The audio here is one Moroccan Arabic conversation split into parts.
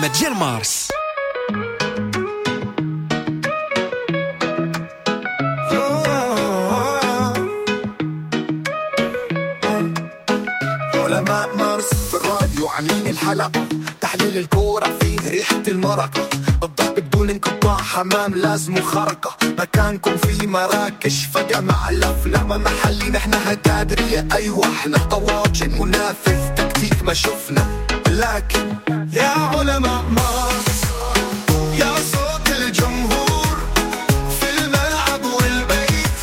العلماء ديال مارس. علماء مارس في الراديو عاملين الحلقة، تحليل الكورة فيه ريحة المرقة، الضرب بدون انقطاع، حمام لازم خرقة، مكانكم في مراكش فجأة مع الأفلام محلي، نحن هتادرية أيوة احنا طواجن منافذ تكتيك ما شفنا، لكن يا علماء مارس يا صوت الجمهور في الملعب والبيت،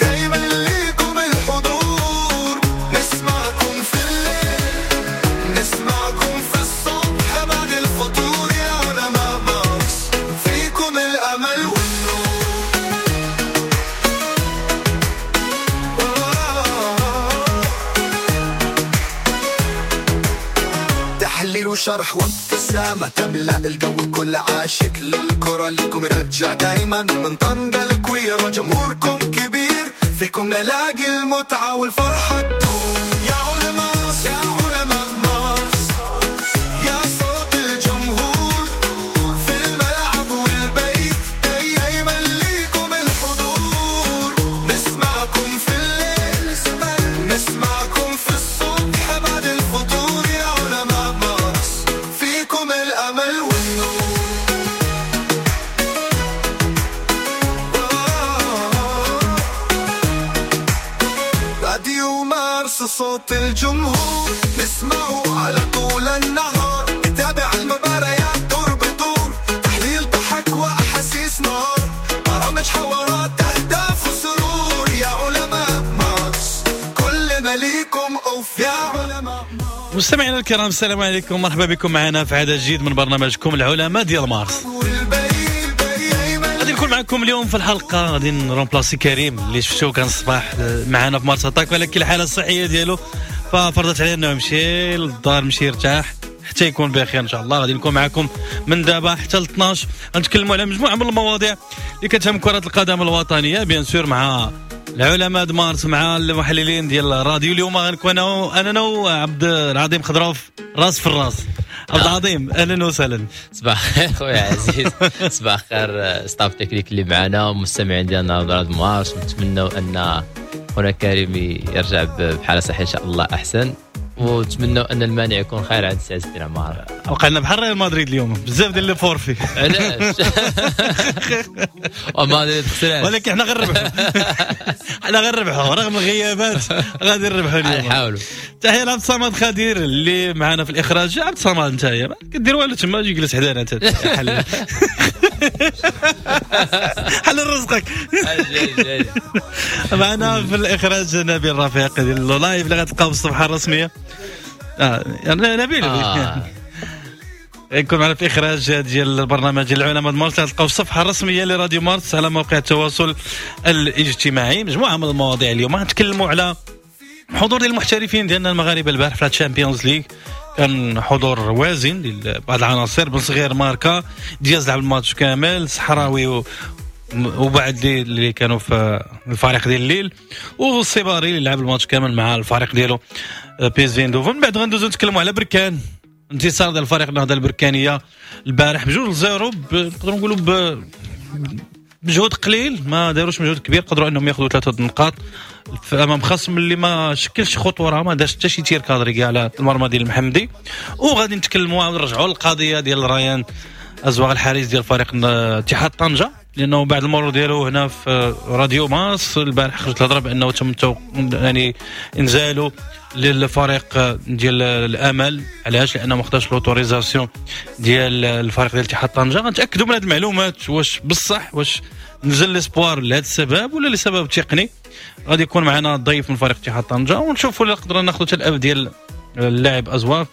دايما ليكم الحضور، نسمعكم في الليل نسمعكم في الصبح بعد الفطور، يا علماء مارس فيكم الأمل والنور. تحليل وشرح وابتسامة تملأ الجو، كل عاشق للكرة لكم يرجع دايما من طنجة الكويرة، جمهوركم كبير فيكم نلاقي المتعة والفرحة تدوم. يا علماء يا علماء مارس يا صوت الجمهور في الملعب والبيت، دايما ليكم الحضور، نسمعكم في الليل نسمعكم في الصبح بعد الفطور، يا علماء مارس فيكم الأمل والنور. راديو مارس صوت الجمهور، نسمعه على طول النهار، نتابع المباريات دور بدور، تحليل ضحك وأحاسيس نار، برامج حوارات أهداف وسرور، يا علماء مارس كلنا ليكم أوف يا علماء. مستمعينا الكرام السلام عليكم، مرحبا بكم معنا في عدد جديد من برنامجكم العلماء ديال مارس. غادي نكون معكم اليوم في الحلقة، غادي ن remplacer كريم اللي شفتوه كان الصباح معنا في مارس اتاك، ولكن الحالة الصحية ديالو ففرضت عليه انه يمشي للدار، يمشي يرتاح حتى يكون بخير ان شاء الله. غادي نكون معكم من دابا حتى ل 12، غنتكلموا على مجموعة من المواضيع اللي كتهم كره القدم الوطنية، bien sûr مع العلماء د مارس، مع المحللين ديال الراديو. اليوم غنكون انا وعبد العظيم خضروف راس في الراس. عبد العظيم اهلا وسهلا. صباح الخير خويا عزيز، صباح الخير staff technique اللي معنا ومستمعين ديالنا راديو مارس. نتمنوا ان خونا كريم يرجع بحاله صحية ان شاء الله احسن، ونتمنوا ان المانع يكون خير عند سي عز الدين عمار. وقع لنا بحال ريال مدريد اليوم بزاف ديال les forfaits. علاش؟ وما خسرات، ولكن حنا غنربحوا، حنا غنربحوا رغم الغيابات غادي نربحوا اليوم، نحاولوا. تحية لعبد الصمد خدير اللي معنا في الاخراج. عبد الصمد انت ما كدير والو تما، جي جلس حدانا انت، حل حل رزقك. معنا في الاخراج نبيل رفيق ديال ال live اللي غتلقاو في الصفحة الرسمية. نبيل يكون معنا في اخراج ديال البرنامج العلماء مارس، تلقاو في الصفحة الرسمية لراديو مارس على موقع التواصل الاجتماعي. مجموعة من المواضيع اليوم غنتكلموا على حضور ديال المحترفين ديالنا المغاربة البارح في ال Champions League، كان حضور وازن ديال بعض العناصر، بن صغير ماركا، دياز لعب الماتش كامل، صحراوي وبعد اللي كانوا في الفريق ديال الليل، والصباري اللي لعب الماتش كامل مع الفريق ديالو PSV اندوفن. من بعد غندوزو نتكلموا على بركان، انتصار ديال الفريق النهضة البركانيه البارح ب2-0، نقدروا نقولوا بمجهود قليل، ما داروش مجهود كبير، قدروا انهم ياخذوا 3 نقاط امام خصم اللي ما شكلش خطورة، ما دارش حتى شي tir cadré كاع على المرمى ديال المحمدي. وغادي نتكلموا ونرجعوا للقضية ديال ريان ازواغ الحارس ديال فريق اتحاد طنجه، لانه بعد المرور ديالو هنا في راديو مارس البارح خرجت الهضرة بانه تم يعني انزاله للفريق ديال الامل. علاش؟ لانه ما خداش l'autorisation ديال الفريق ديال اتحاد طنجه. غنتاكدوا من هذه المعلومات واش بصح، واش نزل les espoirs لهذا السبب ولا لسبب تقني. غادي يكون معنا ضيف من فريق اتحاد طنجه، ونشوفوا الا قدرنا ناخذ حتى الاب ديال اللاعب ازواغ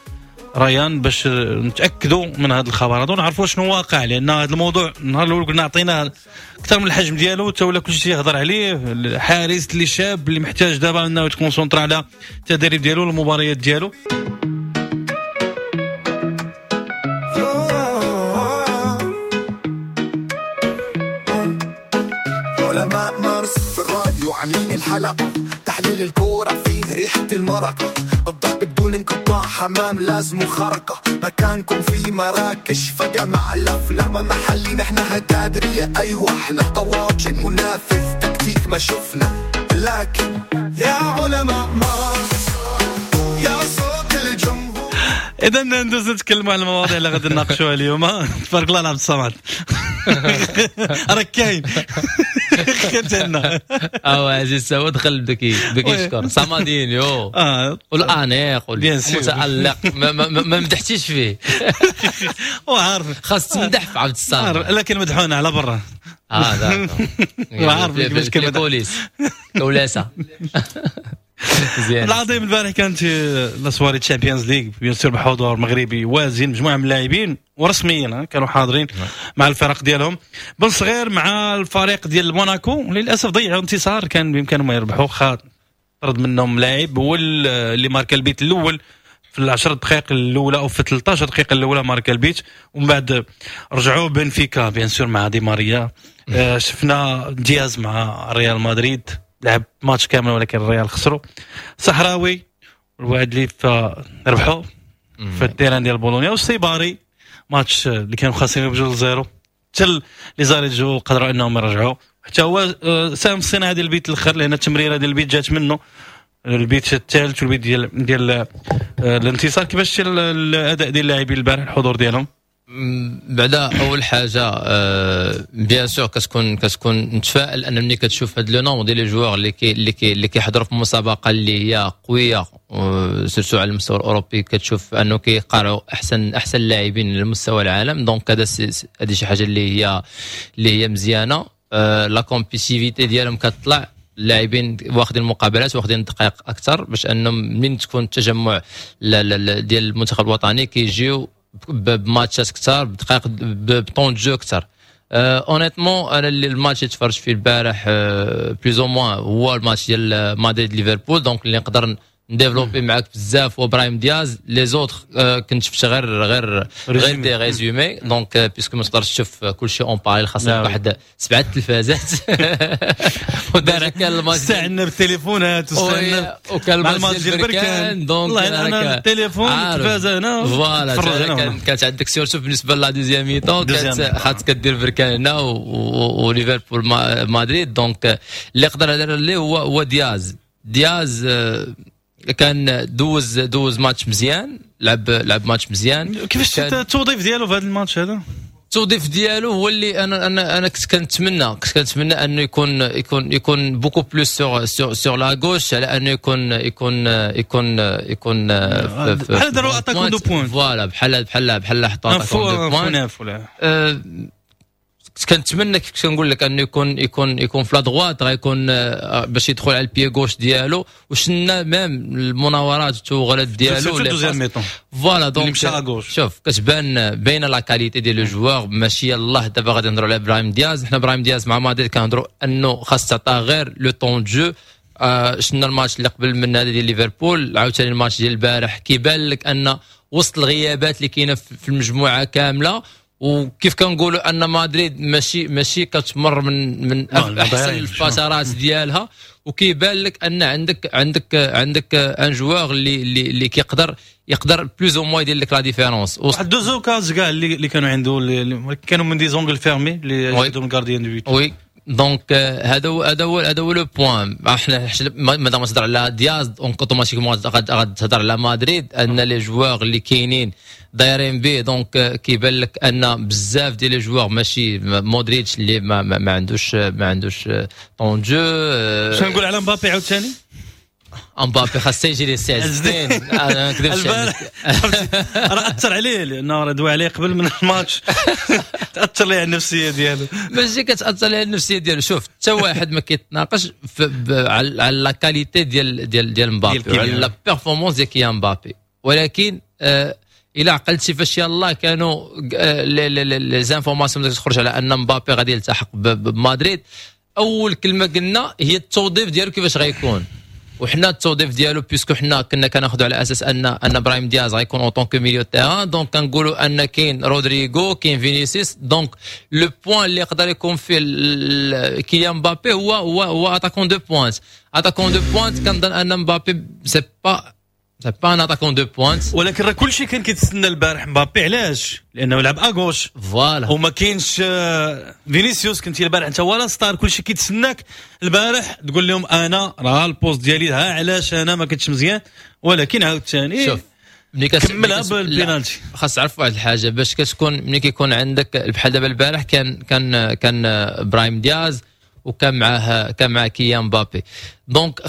ريان باش نتاكدوا من هذا الخبر هذا ونعرفوا شنو واقع، لان هذا الموضوع النهار الاول قلنا عطيناه اكثر من الحجم ديالو، حتى ولا كلشي يهضر عليه. الحارس اللي شاب اللي محتاج دابا انه يت concentra على التدريب ديالو والمباريات ديالو. علماء مارس في الراديو عاملين الحلقة، تحليل الكورة فيه ريحة المرقة، الضرب بدون انقطاع، حمام لازم خرقة، مكانكم في مراكش فجمع الأفلام محلي، نحن هتادرية أيوة احنا طواجن منافذ تكتيك ما شفنا، لكن يا علماء مارس يا صوت الجمهور. اذا ندوز نتكلموا على المواضيع اللي غادي نناقشوها اليوم. تبارك الله على عبد الصمد، راك كاين كنتنا. اه عزيز هو دخل بدا كيشكر صمدينيو والانيق والمتالق، ما مدحتيش فيه وعارف خاص تمدح في عبد الصمد، لكن مدحونا على برا. عارف كيفاش كان بوليس كولاسه مزيان. العظيم البارح كانت la soirée Champions League، bien sûr بحضور مغربي وازن، مجموعة من اللاعبين ورسميا كانوا حاضرين مع الفرق ديالهم. بن صغير مع الفريق ديال موناكو للاسف ضيعوا انتصار كان بامكانهم يربحوا، طرد منهم لاعب هو اللي ماركا البيت الاول في العشر دقائق الاولى او في 13 دقيقة الاولى ماركا البيت، ومن بعد رجعوا بنفيكا bien sûr مع دي ماريا. شفنا دياز مع ريال مدريد لعب ماتش كامل ولكن الريال خسروا. صحراوي الوعد اللي ربحوا في ال terrain ديال بولونيا، والسيباري ماتش اللي كانوا خاسرين ب2-0 حتى les arrêts de jeu قدروا انهم يرجعوا، حتى هو ساهم في الصناعة ديال البيت الاخر، لان التمريره ديال البيت جات منه، البيت الثالث والبيت ديال الانتصار. كيفاش الاداء ديال اللاعبين البارح، الحضور ديالهم؟ بعدا اول حاجة bien sûr كتكون متفائل ان ملي كتشوف هاد le nombre ديال les joueurs اللي كيحضروا في مسابقة اللي هي قوية surtout على المستوى الاوروبي، كتشوف انه كيقارعوا احسن لاعبين على مستوى العالم. donc هذا هذه شي حاجة اللي هي مزيانه. la compétitivité ديالهم كتطلع، اللاعبين واخدين المقابلات، واخدين دقائق اكثر، باش انهم من تكون التجمع ديال المنتخب الوطني كيجيو بماتشات اكثر، بدقائق، ب temps de jeu اكثر. honnêtement انا اللي الماتش اللي تفرجت فيه البارح plus ou moins هو الماتش ديال مدريد ليفربول، donc اللي نقدر ن développer معاك بزاف هو براهيم دياز. les autres كنت شفت غير des résumés، donc puisque ما تقدرش تشوف كلشي en parallèle، خاصك واحد سبعة تلفازات. ودار كان الماتش استعنا بالتليفونات واستعنا وكان الماتش ديال بركان، donc انا التليفون التلفازه هنا. voilà، كانت عندك surtout بالنسبة la deuxième mi-temps كانت خاصك كدير بركان هنا وليفربول مدريد. donc اللي يقدر هذا اللي هو دياز. دياز كان دوز ماتش مزيان، لعب ماتش مزيان. كيفاش التوظيف ديالو في هذا الماتش هذا؟ التوظيف ديالو هو اللي انا كنت كنتمنى انه يكون beaucoup plus sur la gauche على انه يكون بحال داروا attaquant de pointe. voilà، بحال حطوا attaquant de pointe. كنتمنى، كيف كنقول لك، انه يكون في la droite، غيكون باش يدخل على ال pied gauche ديالو، وشنا même المناورات والتوغلات ديالو. voilà، donc شوف كتبان باينة la qualité ديال le joueur. ماشي يلاه دابا غادي نهضروا على ابراهيم دياز. حنا ابراهيم دياز مع مدريد كنهضروا انه خاص تعطاه غير le temps de jeu. شفنا الماتش اللي قبل من هذا ديال ليفربول، عاوتاني الماتش ديال البارح كيبان لك ان وسط الغيابات اللي كاينه في المجموعة كامله، وكيف كنقولوا ان مدريد ماشي كتمر من احسن الفترات ديالها، وكيبان لك ان عندك un joueur اللي كيقدر يقدر plus ou moins يدير لك la différence. واحد deux occasions كاع اللي كانوا عنده، اللي كانوا من des angles fermés اللي عندهم gardien de but. oui، donc هذا هو le point. احنا مادام تهضر على دياز، donc automatiquement غتهضر على مدريد، ان les joueurs اللي كاينين دايرين به. donc كيبان لك ان بزاف ديال les joueurs، ماشي مودريتش اللي ما عندوش temps de jeu. شنو نقول على مبابي عاوتاني؟ امبابي خاص يجي لي سي عز انا ما نكذبش، راه اثر عليه لانه راه دوا عليه قبل من الماتش، تاثر ليه على النفسية ديالو. ماشي كتاثر ليه على النفسية ديالو. شوف، حتى واحد ما كيتناقش على la qualité ديال مبابي، على la performance ديال كيليان مبابي، ولكن الى عقلتي فاش يلاه كانوا les informations تخرج على ان مبابي غادي يلتحق بمدريد، اول كلمة قلنا هي التوظيف ديالو كيفاش غيكون. وحنا التوظيف ديالو، puisque حنا كنا كناخذوا على اساس ان ابراهيم دياز غيكون en tant que milieu terrain، donc كنقولوا ان كاين رودريغو، كاين فينيسيوس، donc le point اللي يقدر يكون فيه كيليان مبابي هو attaquant de pointe، attaquant de pointe. كنظن ان مبابي c'est pas un attaquant de pointe. ولكن راه كلشي كان كيتسنى البارح مبابي. علاش؟ لانه لعب à gauche. voilà. وما كاينش فينيسيوس. كنتي البارح انت هو la star، كلشي كيتسناك البارح تقول لهم انا راه ال poste ديالي، ها علاش انا ما كنتش مزيان، ولكن عاوتاني شوف، ملي كملها بالبينالتي. خاص تعرف واحد الحاجه، باش كتكون ملي كيكون عندك بحال دابا البارح كان ابراهيم دياز وكان معاه كيليان مبابي، donc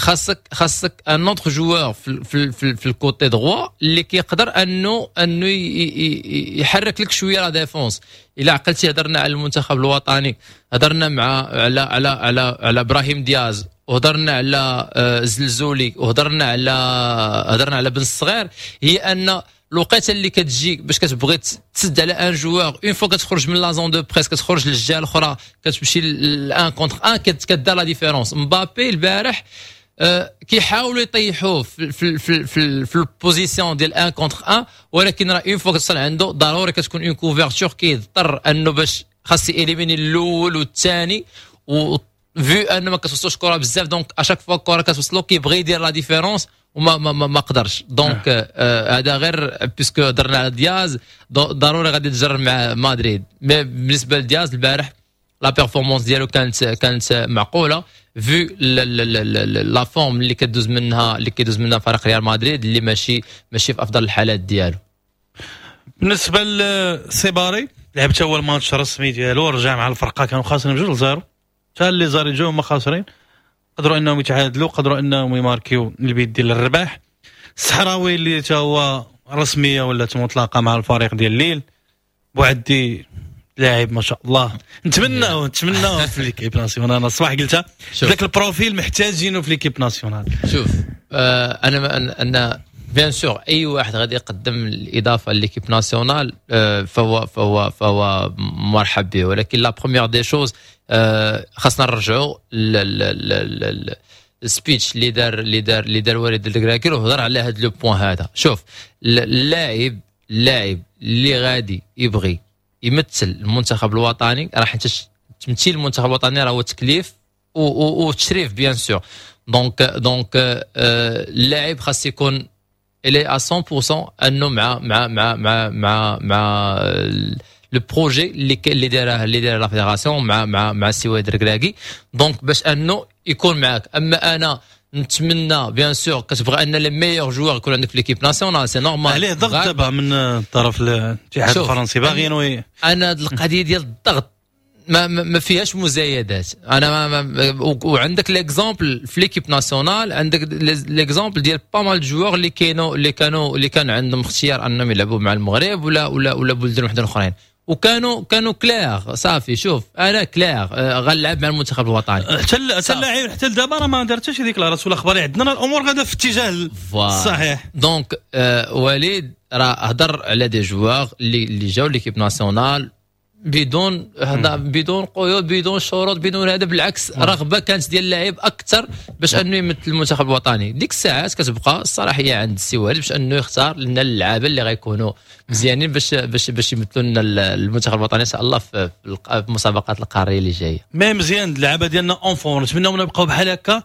خاصك un autre joueur في ال côté droit اللي كيقدر انه يحرك لك شوية la défense. الا عقلتي هضرنا على المنتخب الوطني، هضرنا مع على على على على ابراهيم دياز، وهضرنا على زلزولي، وهضرنا على هضرنا على بن الصغير، هي ان الوقيته اللي كتجي باش كتبغي تسد على un joueur، une fois كتخرج من la zone de presse، كتخرج للجهة الاخرى، كتمشي ل 1 contre 1، كدار la différence. مبابي البارح كيحاولوا يطيحوه في ال position ديال 1 contre 1، ولكن راه une fois كتوصل عنده ضروري كتكون une couverture، كيضطر انه باش خاص éliminer الاول والثاني، و vu انه ما كتوصلوش كره بزاف، donc à chaque fois الكره كتوصلو كيبغي يدير la différence وما ما ما, ما قدرش. donc هذا غير puisque هضرنا على دياز، ضروري غادي تجر مع مدريد. mais بالنسبة لدياز البارح la performance ديالو كانت معقولة vu la forme اللي كيدوز منها فريق ريال مدريد اللي ماشي في افضل الحالات ديالو. بالنسبة لسيباري، لعب حتى هو الماتش الرسمي ديالو، رجع مع الفرقه. كانوا خاسرين 2-0، حتى les arrêts de jeu هما خاسرين، قدروا انهم يتعادلوا، قدروا انهم يماركيو البيت ديال الرباح. الصحراوي اللي تا هو رسمية ولا مطلقه مع الفريق ديال ليل. بوعدي لاعب ما شاء الله، نتمناو في l'équipe nationale. انا الصباح قلتها، ذاك ال profil محتاجينه في l'équipe nationale. شوف، انا bien sûr اي واحد غادي يقدم الاضافة l'équipe nationale فهو مرحب به، ولكن la première des choses خاصنا نرجعوا ال speech اللي دار وليد الركراكي وهضر على هذا le point هذا. شوف، اللاعب اللي غادي يبغي يمثل المنتخب الوطني، راه حيت تمثيل المنتخب الوطني راه هو تكليف وتشريف bien sûr، donc اللاعب خاص يكون il est à 100% انه مع le projet اللي دايرة la fédération مع السي وليد الركراكي، donc باش انه يكون معاك. اما انا نتمنى، bien sûr كتبغى ان les meilleurs joueurs يكون عندك في l'équipe nationale، c'est normal. عليه ضغط دابا من طرف الاتحاد الفرنسي، باغيين. انا القضية ديال الضغط ما فيهاش مزايدات. انا ما ما وعندك l'exemple في l'équipe nationale، عندك l'exemple ديال pas mal joueurs اللي كانوا اللي كان عندهم اختيار انهم يلعبوا مع المغرب ولا بلدان وحدين اخرين، وكانوا clairs، صافي، شوف، انا clair غنلعب مع المنتخب الوطني. حتى اللاعب حتى لدابا راه ما دار حتى شي déclaration الاخبار، عندنا الامور غادا في اتجاه الصحيح. donc وليد راه هضر على des joueurs اللي جاو l'équipe nationale بدون هذا، بدون قيود، بدون شروط، بدون هذا. بالعكس، رغبة كانت ديال اللاعب اكثر باش انه يمثل المنتخب الوطني. ديك الساعات كتبقى الصلاحية عند السي وليد باش انه يختار لنا اللعابه اللي غيكونوا مزيانين باش يمثلوا لنا المنتخب الوطني ان شاء الله في المسابقات القارية اللي جايه. mais مزيان اللعابه ديالنا en forme، نتمناو نبقاو بحال هكا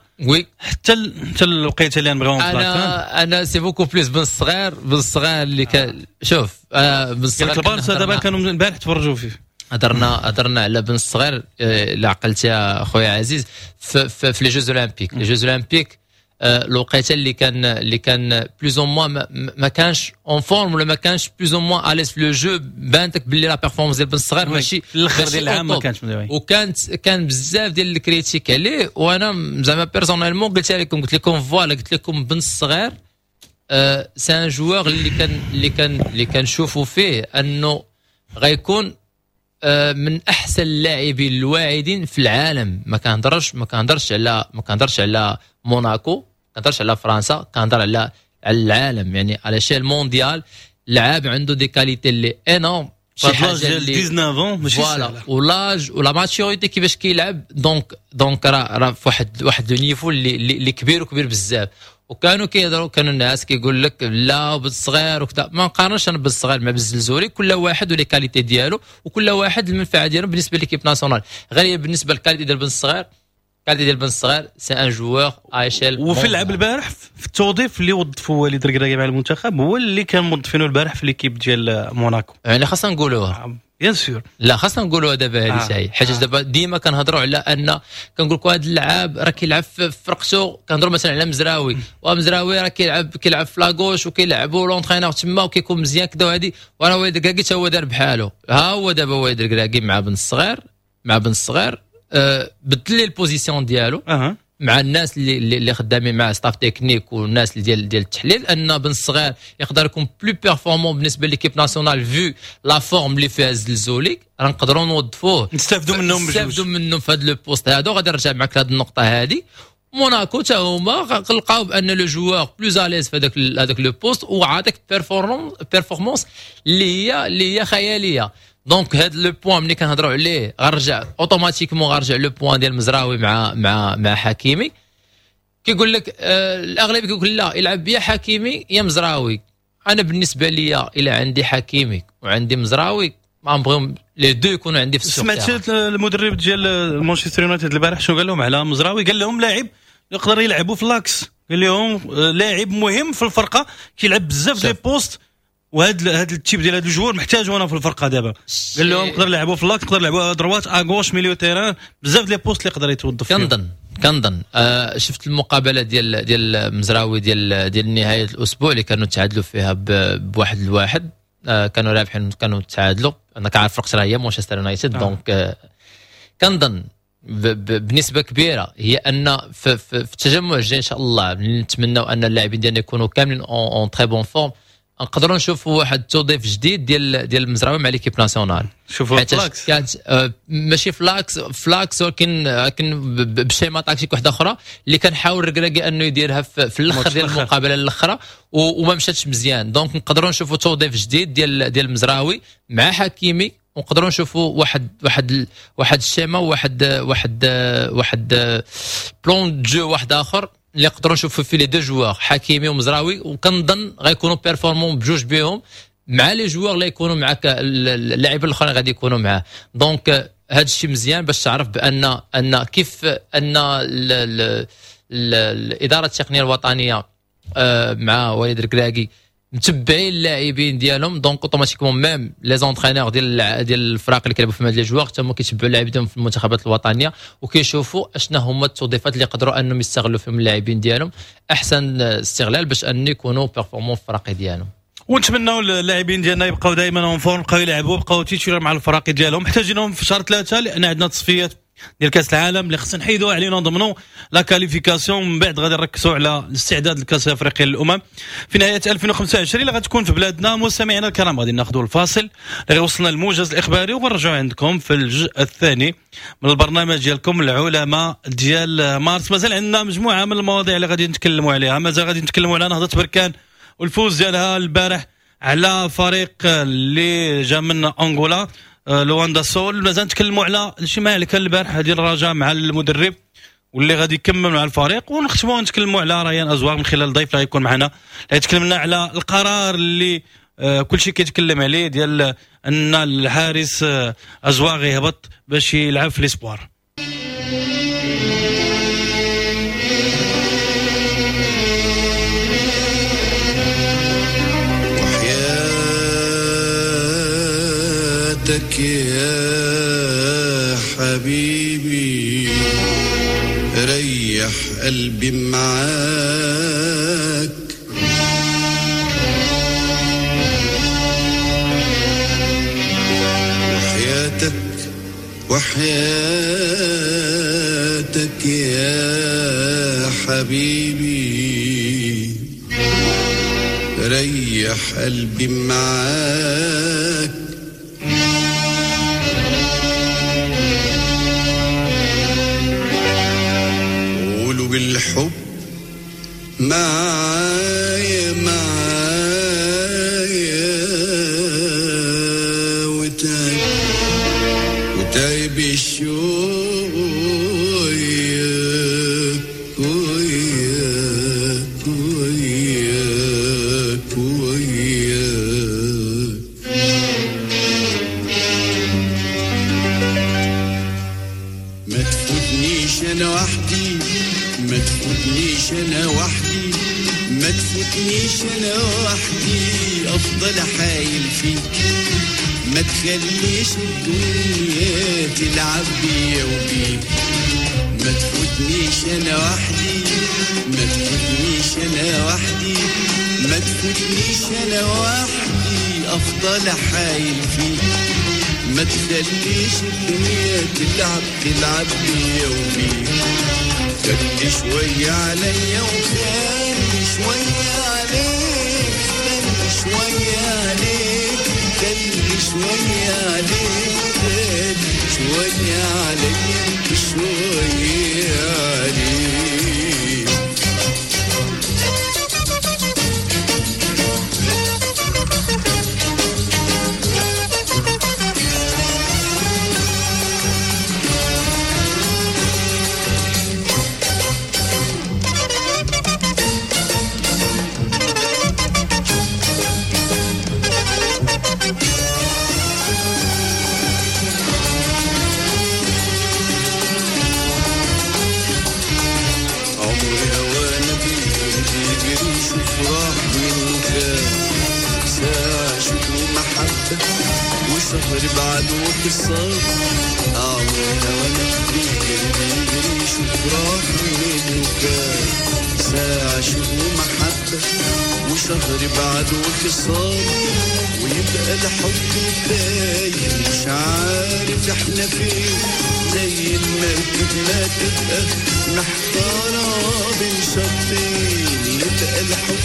حتى الوقيته اللي نبغيو. انا c'est beaucoup plus بن الصغير، بن الصغير اللي كان، شوف بن الصغير البارسا دابا كانوا البارح تفرجوا فيه. هضرنا على بن الصغير، الا عقلتي خويا عزيز، في les Jeux Olympiques، les Jeux Olympiques الوقيته اللي كان plus ou moins ما كانش en forme ولا ما كانش plus ou moins à l'aise في le jeu، بانتك باللي la performance ديال بن الصغير ماشي الاخر ديال العام ما كانش. وكانت كان بزاف ديال ال critiques عليه، وانا زعما personnellement قلت لكم، قلت لكم voilà، قلت لكم بن الصغير c'est un joueur اللي كنشوفوا فيه انه غيكون من احسن اللاعبين الواعدين في العالم. ما كنهضرش على موناكو، ما كنهضرش على فرنسا، كنهضر على العالم، يعني على l'échelle mondiale. لعاب عنده des qualités اللي énormes. شي حاجة اللي 19 ماشي voilà و l'âge و la maturité كيفاش كيلعب. donc راه في واحد le niveau اللي كبير وكبير بزاف. وكانوا كيهضروا، كانوا الناس كيقول لك لا بالصغير وكذا. ما نقارنش انا بالصغير مع بالزلزولي، كل واحد و les qualités ديالو وكل واحد المنفعة ديالو بالنسبة l'équipe nationale. غير بالنسبة لل qualité ديال بن الصغير، qualité ديال بن الصغير c'est un joueur à échelle. وفي اللعب البارح في التوظيف اللي وظفوا وليد الركراكي مع المنتخب هو اللي كان موظفينه البارح في l'équipe ديال موناكو. يعني خاصنا نقولوها bien sûr، لا خاصنا نقولوها دابا هذه شيء، حيت دابا ديما كنهضروا على ان كنقول لكم هذا اللاعب راه كيلعب في فرقته. كنهضروا مثلا على مزراوي، ومزراوي راه كيلعب في la gauche وكيلعبوا l'entraîneur تما وكيكون مزيان كذا وهذه، وراه وليد الركراكي حتى هو دار بحالو. ها هو دابا وليد الركراكي مع بن الصغير بدل لي ال position ديالو مع الناس اللي خدامين مع staff technique والناس اللي ديال التحليل، ان بن الصغير يقدر يكون plus performant بالنسبة l'équipe nationale vu la forme اللي فيها الزلزولي، راه نقدروا نوظفوه نستافدوا منهم بجوج، نستافدوا منهم في هذا le poste هذا. وغادي نرجع معك لهذه النقطة هذه. موناكو حتى هما لقاو بان le joueur plus à l'aise في هذاك le poste وعاطيك performance اللي هي خيالية. donc هاد le point ملي كنهضروا عليه غنرجع automatiquement غنرجع le point ديال مزراوي مع مع مع حكيمي. كيقول لك الاغلبية كيقول لا يلعب يا حكيمي يا مزراوي. انا بالنسبة لي الى عندي حكيمي وعندي مزراوي ما نبغيهم les deux يكونوا عندي في السوق. سمعت المدرب ديال مانشستر يونايتد البارح شنو قال لهم على مزراوي؟ قال لهم لاعب يقدر يلعبوا في l'axe، قال لهم لاعب مهم في الفرقة كيلعب بزاف les postes، وهذا ال type ديال هذا ال joueur محتاجو انا في الفرقة دابا. قال لهم نقدر نلعبوا في l'axe، نقدر نلعبوا droite à gauche milieu terrain، بزاف les postes اللي يقدر يتوظف فيهم. كنظن شفت المقابلة ديال مزراوي ديال نهاية الاسبوع اللي كانوا تعادلوا فيها بواحد لواحد، كانوا رابحين كانوا تعادلوا. انا كنعرف فرقه راه هي مانشستر يونايتد. donc كنظن بنسبة كبيرة هي ان في التجمع الجاي ان شاء الله نتمنوا ان اللاعبين ديالنا يكونوا كاملين en très bonne forme، نقدروا نشوفوا واحد التوظيف جديد ديال المزراوي مع l'équipe nationale. شوفوا ف l'axe كانت ماشي ف l'axe ولكن ب schéma tactique واحدة اخرى اللي كنحاول الركراكي انه يديرها في الاخر ديال المقابلة الاخرى وما مشاتش مزيان. donc نقدروا نشوفوا توظيف جديد ديال المزراوي مع حكيمي، ونقدروا نشوفوا واحد واحد واحد ال schéma واحد واحد واحد plan de jeu واحد اخر اللي نقدروا نشوفوا فيه les deux joueurs حكيمي ومزراوي، وكنظن غيكونوا performants بجوج بهم مع les joueurs اللي يكونوا معك اللاعبين الاخرين غادي يكونوا معاه. donc هذا الشيء مزيان باش تعرف بان ان كيف ان الادارة التقنية الوطنية مع وليد الركراكي متبعين اللاعبين ديالهم. donc automatiquement même les entraîneurs ديال الفرق اللي كيلعبوا في هاد les joueurs حتى هما كيتبعوا اللاعبين ديالهم في المنتخبات الوطنية وكيشوفوا اشنا هما التوظيفات اللي يقدروا انهم يستغلوا فيهم اللاعبين ديالهم احسن استغلال باش ان يكونوا performants في الفرق ديالهم. ونتمنوا اللاعبين ديالنا يبقاو دائما en forme، يبقاو يلعبوا، يبقاو titulaires مع الفرق ديالهم. محتاجينهم في شهر 3 لان عندنا تصفيات ديال كاس العالم اللي خصنا نحيدوها علينا نضمنوا la qualification، من بعد غادي نركزوا على الاستعداد لكاس افريقيا للامم في نهاية 2025 اللي غتكون في بلادنا. مستمعينا الكرام غادي ناخذوا الفاصل اللي وصلنا الموجز الاخباري ونرجعوا عندكم في الجزء الثاني من البرنامج ديالكم العلماء ديال مارس. مازال عندنا مجموعة من المواضيع اللي غادي نتكلموا عليها، مازال غادي نتكلموا على نهضة بركان والفوز ديالها البارح على فريق اللي جا من انغولا لواندا سول. مازال نتكلموا على الاجتماع اللي كان البارح ديال الرجاء مع المدرب واللي غادي يكمل مع الفريق، ونختموا نتكلموا على ريان ازواغ من خلال الضيف اللي غيكون معنا اللي تكلمنا على القرار اللي كل شيء كيتكلم عليه ديال ان الحارس ازواغ يهبط باش يلعب في les espoirs. وحياتك يا حبيبي ريح قلبي معاك، وحياتك وحياتك يا حبيبي ريح قلبي معاك، قولوا بالحب معايا معايا الشوق وياك وياك وياك وياك. ما تفوتنيش انا وحدي، ما تفوتنيش انا وحدي، ما تفوتنيش انا وحدي، افضل حايل فيك. ما تخليش الدنيا تلعب بيا وبيك. ما تفوتنيش انا وحدي، ما تفوتنيش انا وحدي، ما تفوتنيش انا وحدي، افضل حايل فيك. ما تخليش الدنيا تلعب تلعب بيا وبيك. خلي شوية عليا وخلي شوية عليك، خلي شوية عليك، خلي شوية عليك، خلي شوية عليا شوية عليك. وشهر بعده خسار عمرنا وانا بيجري بيجري شوف راح منه كان ساعة شوق ومحبة وشهر بعده خسار، ويبقى الحب باين مش عارف احنا فين، زي المركب ما تبقى محتارة بين شطين. يبقى الحب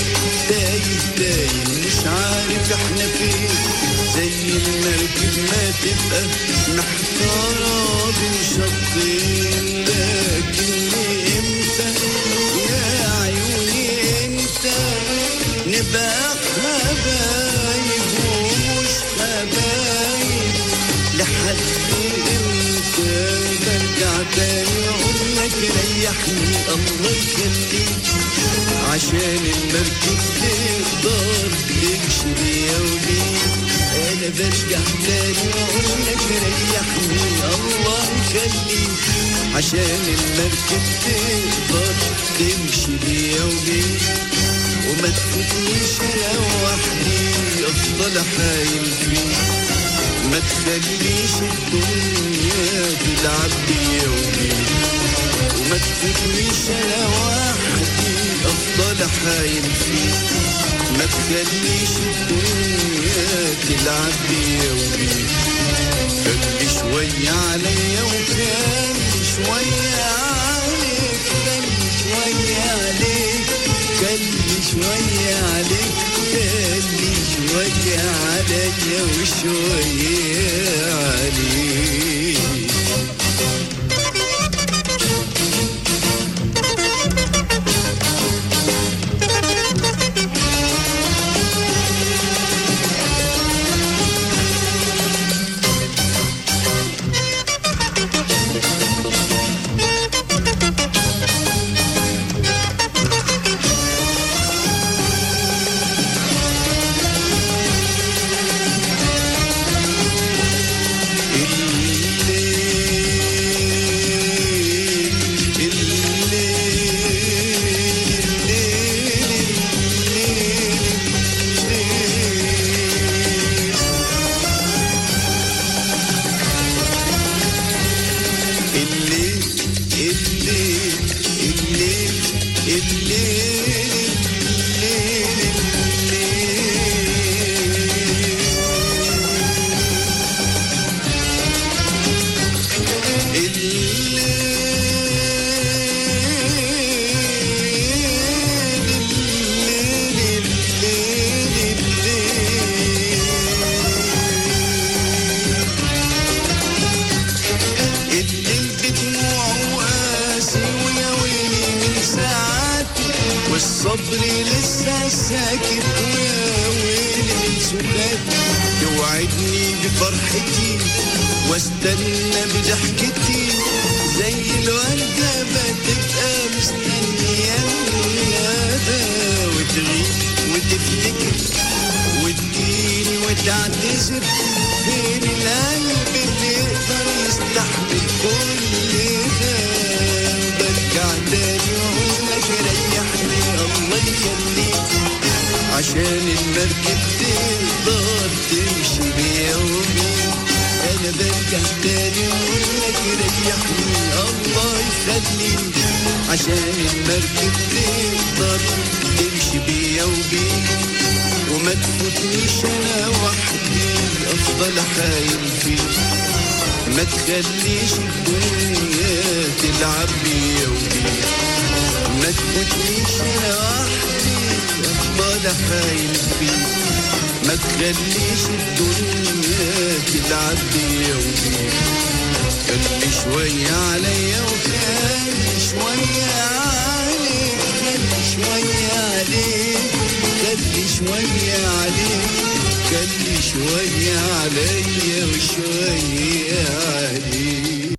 تايه تايه مش عارف احنا فين، زي المركب ما تبقى محتارة بين شطين. لكن امتى يا عيوني امتى نبقى حبايب ومش حبايب؟ لحد امتى برجع تاني اقول لك ريحني الله يخليك، عشان المركب تقدر تمشي بيا وبيك. انا برجع تاني واقول لك ريحني الله يخليك، عشان المركب تقدر تمشي بيا وبيك. وما تفوتنيش انا وحدي افضل حايل فيك، ما تخليش الدنيا تلعب بيا وبيك. وما تفوتنيش انا وحدي افضل حايل فيك، ما تخليش الدنيا تلعب بيا وبيك. خلي شوية عليا وخلي شوية عليك، خلي شوية عليك، خلي شوية عليك، خلي شوية عليا وشوية عليك. ساكت ويا ويلي من سكات، توعدني بفرحتي واستنى بضحكتي زي الوردة بتبقى مستنية الندى، وتغيب وتفتكر وتجيني وتعتذر، فين القلب اللي يقدر يستحمل كل ده؟ برجع تاني واقول لك ريحني الله يخليك، عشان المركب تقدر تمشي بيا وبيك. انا برجع تاني واقول لك ريحني الله يخليك، عشان المركب تقدر تمشي بيا وبيك، وما تفوتنيش انا وحدي افضل حايل فيك، ما تخليش الدنيا تلعب بيا وبيك، ما تفوتنيش انا وحدي افضل حايل فيك، ما تخليش الدنيا تلعب بيا وبيك. خلي شوية عليا وخلي شوية عليك، خلي شوية عليك، خلي شوية عليك، خلي شوية عليا وشوية عليك.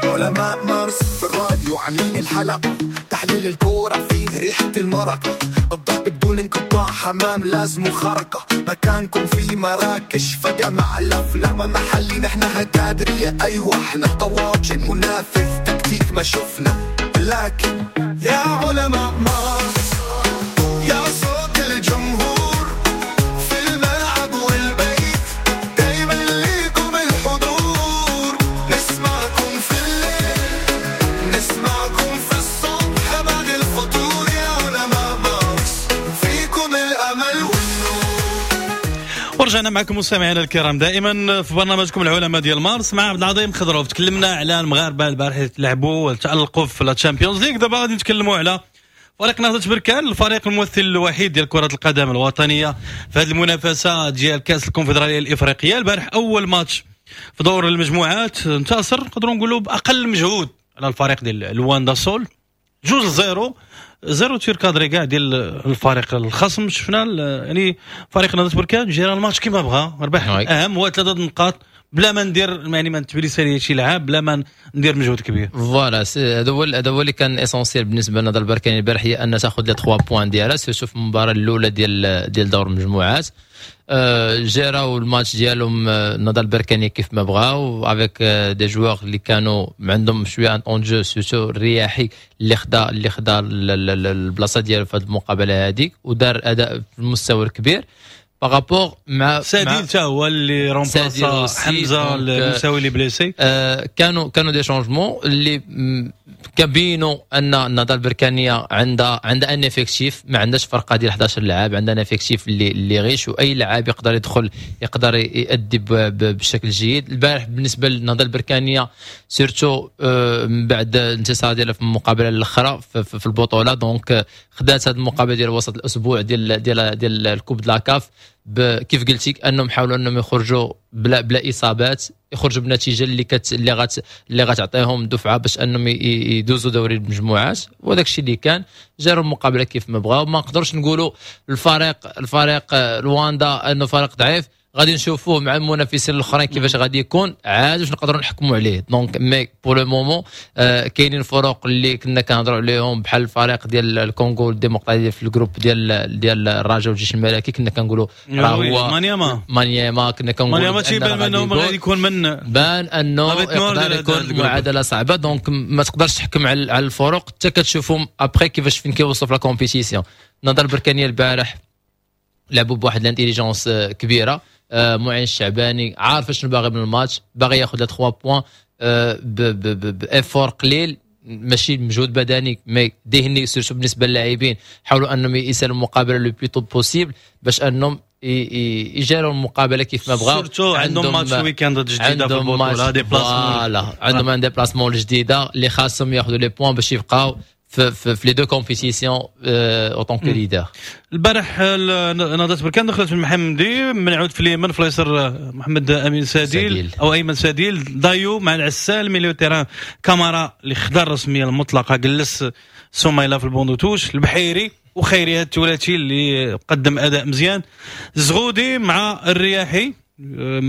علماء مارس في الراديو عاملين الحلقة، تحليل الكورة فيه ريحة المرقة، الضرب بدون انقطاع، حمام لازم خرقة، مكانكم في مراكش فجمع الأفلام محلي، نحنا هتادرية أيوة احنا طواجن منافذ تكتيك ما شفنا، لكن يا علماء مارس يا صوت الجمهور في الملعب والبيت، دايما ليكم الحضور، نسمعكم في الليل نسمعكم في الصبح بعد الفطور، يا علماء مارس فيكم الأمل والنور. ورجعنا معكم مستمعينا الكرام دائما في برنامجكم العلماء ديال مارس مع عبد العظيم خضروف. تكلمنا على المغاربة البارح لعبوا وتألقوا في la Champions League، دابا غادي نتكلموا على فريق نهضة بركان، الفريق الممثل الوحيد ديال كرة القدم الوطنية في هذه المنافسة ديال كأس الكونفدرالية الإفريقية. البارح أول ماتش في دور المجموعات انتصر، نقدروا نقولوا بأقل مجهود على الفريق ديال لواندا سول 2-0، zéro tir cadré كاع ديال الفريق الخصم. شفنا يعني فريق نهضة بركان جرى الماتش كما بغى، ربح اهم هو 3 نقاط بلا ما ندير يعني ما نتبليسي شي لعاب، بلا ما ندير مجهود كبير. voilà هذا هو اللي كان essentiel بالنسبة لنهضه البركان البارح، هي ان تاخذ les 3 points ديالها surtout في المباراة الاولى ديال دور المجموعات. جراو الماتش ديالهم النهضة البركانيه كيف ما بغاو، avec des joueurs اللي كانوا عندهم شوية un temps de jeu، surtout الرياحي اللي خدا البلاصة ديالو في هذه المقابلة هذيك ودار اداء في المستوى الكبير par rapport مع ساديل تا هو اللي remplaça حمزة المساوي اللي blessé. كانوا des changements اللي كبينوا ان النهضة البركانيه عندها un effectif، ما عندهاش فرقه ديال 11 لاعب، عندها un effectif اللي riche، واي لاعب يقدر يدخل يقدر يؤدي بشكل جيد. البارح بالنسبة للنهضه البركانيه surtout من بعد الانتصار ديالها في المقابلة الاخرى في البطولة، donc خدات هذه المقابلة ديال وسط الاسبوع ديال ديال ديال ال coupe de la CAF، كيف قلتي انهم حاولوا انهم يخرجوا بلا اصابات، يخرجوا بنتيجة اللي غتعطيهم دفعه باش انهم يدوزوا دوري المجموعات، وهذاك الشيء اللي كان. جاروا المقابلة كيف ما بغاو. ما نقدرش نقولوا الفريق رواندا انه فريق ضعيف، غادي نشوفوه مع المنافسين الاخرين كيفاش غادي يكون عاد باش نقدروا نحكموا عليه. donc mais pour le moment كاينين فرق اللي كنا كنهضروا عليهم بحال الفريق ديال الكونغو الديمقراطية في ال groupe ديال الرجاء والجيش الملكي، كنا كنقولوا راه هو مانياما، كنا كنقولوا مانياما تيبان انه غادي يكون من بان انه يقدر يكون معادلة صعبة. donc ما تقدرش تحكم على الفرق حتى كتشوفهم après كيفاش فين كيوصلوا في la compétition. النهضة البركانيه البارح لعبوا بواحد l'intelligence كبيرة. معين الشعباني عارف شنو باغي من الماتش، باغي ياخذ 3 points ب effort قليل، ماشي مجهود بدني mais ذهني surtout بالنسبة للاعبين. حاولوا انهم يسالوا المقابلة le plus tôt possible باش انهم يجاروا المقابلة كيف ما بغاو. surtout عندهم match week-end جديدة في البطولة، déplacement، voilà عندهم un déplacement جديدة اللي خاصهم ياخذوا les points باش يبقاو في les deux compétitions en tant que leader. البارح نهضة بركان دخلت من محمدي، منعود في اليمين، في اليسار محمد امين ساديل او ايمن ساديل، دايو مع العسال، milieu terrain كامارا اللي خدا الرسمية المطلقه، جلس سميلة في ال banc de touche، البحيري وخيري الثلاثي اللي قدم اداء مزيان، زغودي مع الرياحي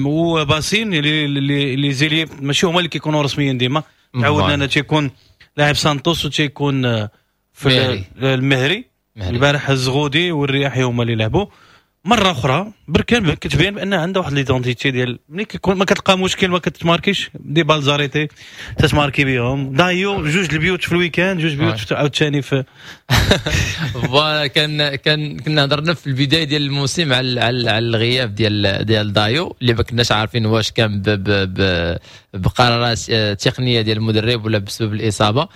وباسين اللي les ailiers ماشي هما اللي كيكونوا رسميا ديما، تعودنا ان تيكون لاعب سانتوس وتيكون في المهري. البارح الزغودي والرياحي هما اللي لعبوا. مرة اخرى بركان كتبين بان عندها واحد l'identité ديال ملي كيكون ما كتلقى مشكل ما كتماركيش des balles arrêtées تتماركي بهم. دايو جوج البيوت في ال week-end، جوج بيوت عاوتاني في voilà. كان كنا هضرنا في البداية ديال الموسم على الغياب ديال دايو اللي ما كناش عارفين واش كان ب ب ب بقرارات تقنية ديال المدرب ولا بسبب الاصابه،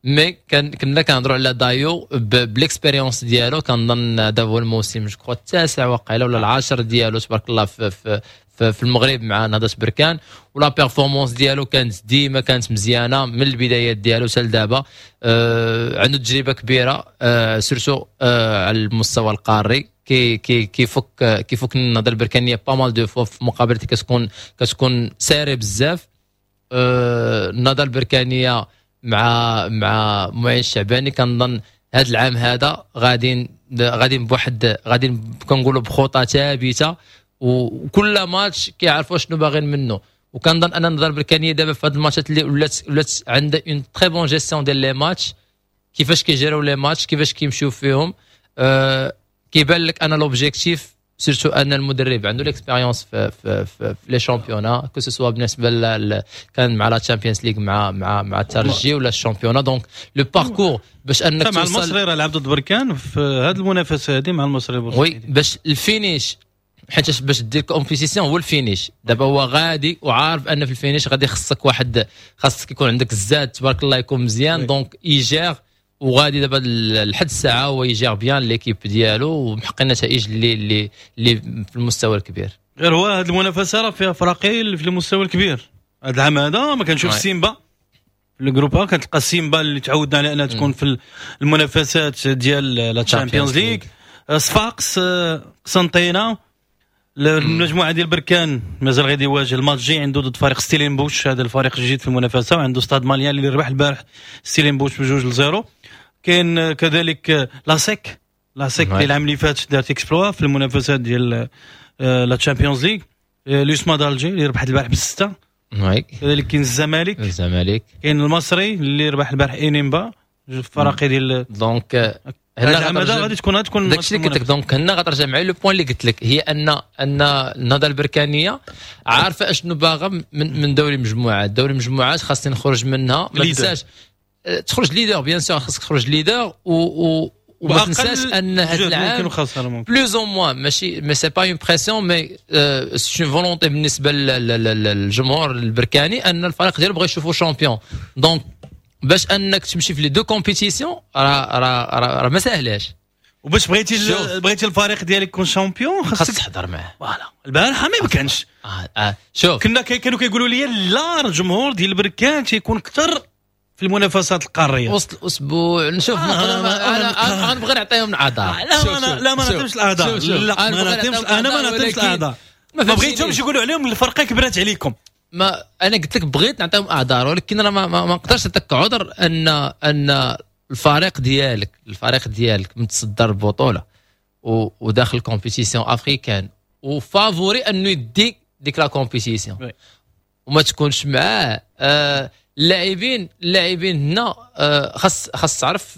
mais كنا كنهضروا على دايو ب l'expérience ديالو. كنظن هذا هو الموسم je crois التاسع وقيله ولا العاشر ديالو تبارك الله في المغرب مع نهضة بركان، و la performance ديالو كانت ديما كانت مزيانه من البدايات ديالو حتى لدابا. عنده تجربه كبيرة surtout على المستوى القاري، كي كي كيفك النهضة البركانيه pas mal de fois في مقابلات كتكون serrée بزاف. النهضة البركانيه مع معين الشعباني كنظن هذا العام هذا غاديين بواحد غاديين كنقولوا بخطى ثابته، وكل ماتش كيعرفوا شنو باغيين منه. وكنظن ان النهضة البركانيه دابا في هذه الماتشات اللي ولات عندها une très bonne gestion ديال les matchs، كيفاش كيجيروا les matchs، كيفاش كيمشيو فيهم. كيبان لك ان l'objectif، surtout ان المدرب عنده l'expérience في les championnats، que ce soit بالنسبة كان مع la Champions League مع الترجي ولا ال championnat، donc le parcours باش انك مع المصري راه لعب ضد بركان في هذه المنافسة هذه مع المصري. oui، باش ال finish، حيت باش دير compétition هو ال finish. دابا هو غادي وعارف ان في ال finish غادي خصك واحد، خاصك يكون عندك الزاد تبارك الله يكون مزيان، donc il gère وغادي دابا لحد الساعة هو ي gère bien l'équipe ديالو ومحقق النتائج اللي في المستوى الكبير. غير هو هذه المنافسة راه فيها فراقي في المستوى الكبير هذا العام هذا. ما كنشوف سيمبا في ال groupe، كتلقى سيمبا اللي تعودنا على انها تكون في المنافسات ديال la Champions League، صفاقس، قسنطينه. المجموعة ديال بركان مازال غادي يواجه الماتش جاي عنده ضد فريق ستيلينبوش، هذا الفريق الجديد في المنافسه، وعنده ستاد ماليان اللي ربح البارح ستيلينبوش ب2-0. كاين كذلك لاسيك اللي العام اللي فات دارت exploit في المنافسات ديال la Champions League، l'USMA d'Alger اللي ربحت البارح ب6. كذلك كاين الزمالك. الزمالك. كاين المصري اللي ربح البارح انيمبا، جوج فراقي ديال donc هنا غادي تكون داكشي اللي قلت لك. donc هنا غترجع معايا le point اللي قلت لك، هي ان النهضة البركانيه عارفه اشنو باغا من دوري المجموعات. دوري المجموعات خاصني نخرج منها، ما تنساش تخرج leader، bien sûr خاصك تخرج leader، وما تنساش ان هذا العام plus ou moins ماشي mais c'est pas une pression mais c'est une volonté بالنسبة للجمهور البركاني ان الفريق ديالو بغى يشوفو champion. donc باش انك تمشي في les deux compétitions راه ما ساهلاش. وباش بغيتي الفريق ديالك يكون champion خاصك تحضر معاه. voilà، البارح ما يمكنش. شوف، كانوا كيقولوا لي لا، الجمهور ديال بركان تيكون اكثر في المنافسات القاريه. وسط الاسبوع نشوف. انا غنبغي نعطيهم الاعذار. لا لا، ما نعطيهمش الاعذار، لا ما نعطيهمش، انا ما نعطيهمش الاعذار. ما بغيتهمش يقولوا عليهم الفرقة كبرات عليكم. ما انا قلت لك بغيت نعطيهم اعذار، ولكن انا ما نقدرش نعطيك عذر ان الفريق ديالك متصدر البطولة وداخل compétition africaine و favori انه يدي ديك la compétition وما تكونش معاه. اللاعبين هنا خاص تعرف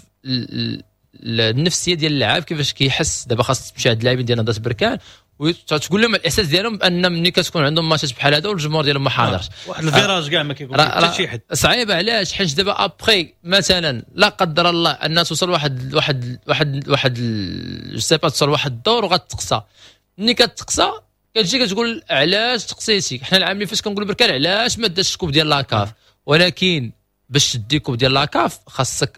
النفسية ديال اللاعب كيفاش كيحس. دابا خاص تمشي عند اللاعبين ديال نهضة بركان وتقول لهم الاحساس ديالهم بان ملي كتكون عندهم ماتشات بحال هذا والجمهور ديالهم ما حاضرش. واحد ال virage كاع ما كيكون حتى شي حد. صعيبه. علاش؟ حيت دابا après مثلا لا قدر الله ان توصل واحد je sais pas، توصل واحد الدور وغتقصى. ملي كتقصى كتجي كتقول علاش تقصيتي؟ حنا العام اللي فات كنقول بركان علاش ما داش ال coupe ديال la CAF، ولكن باش تدي coupe ديال la CAF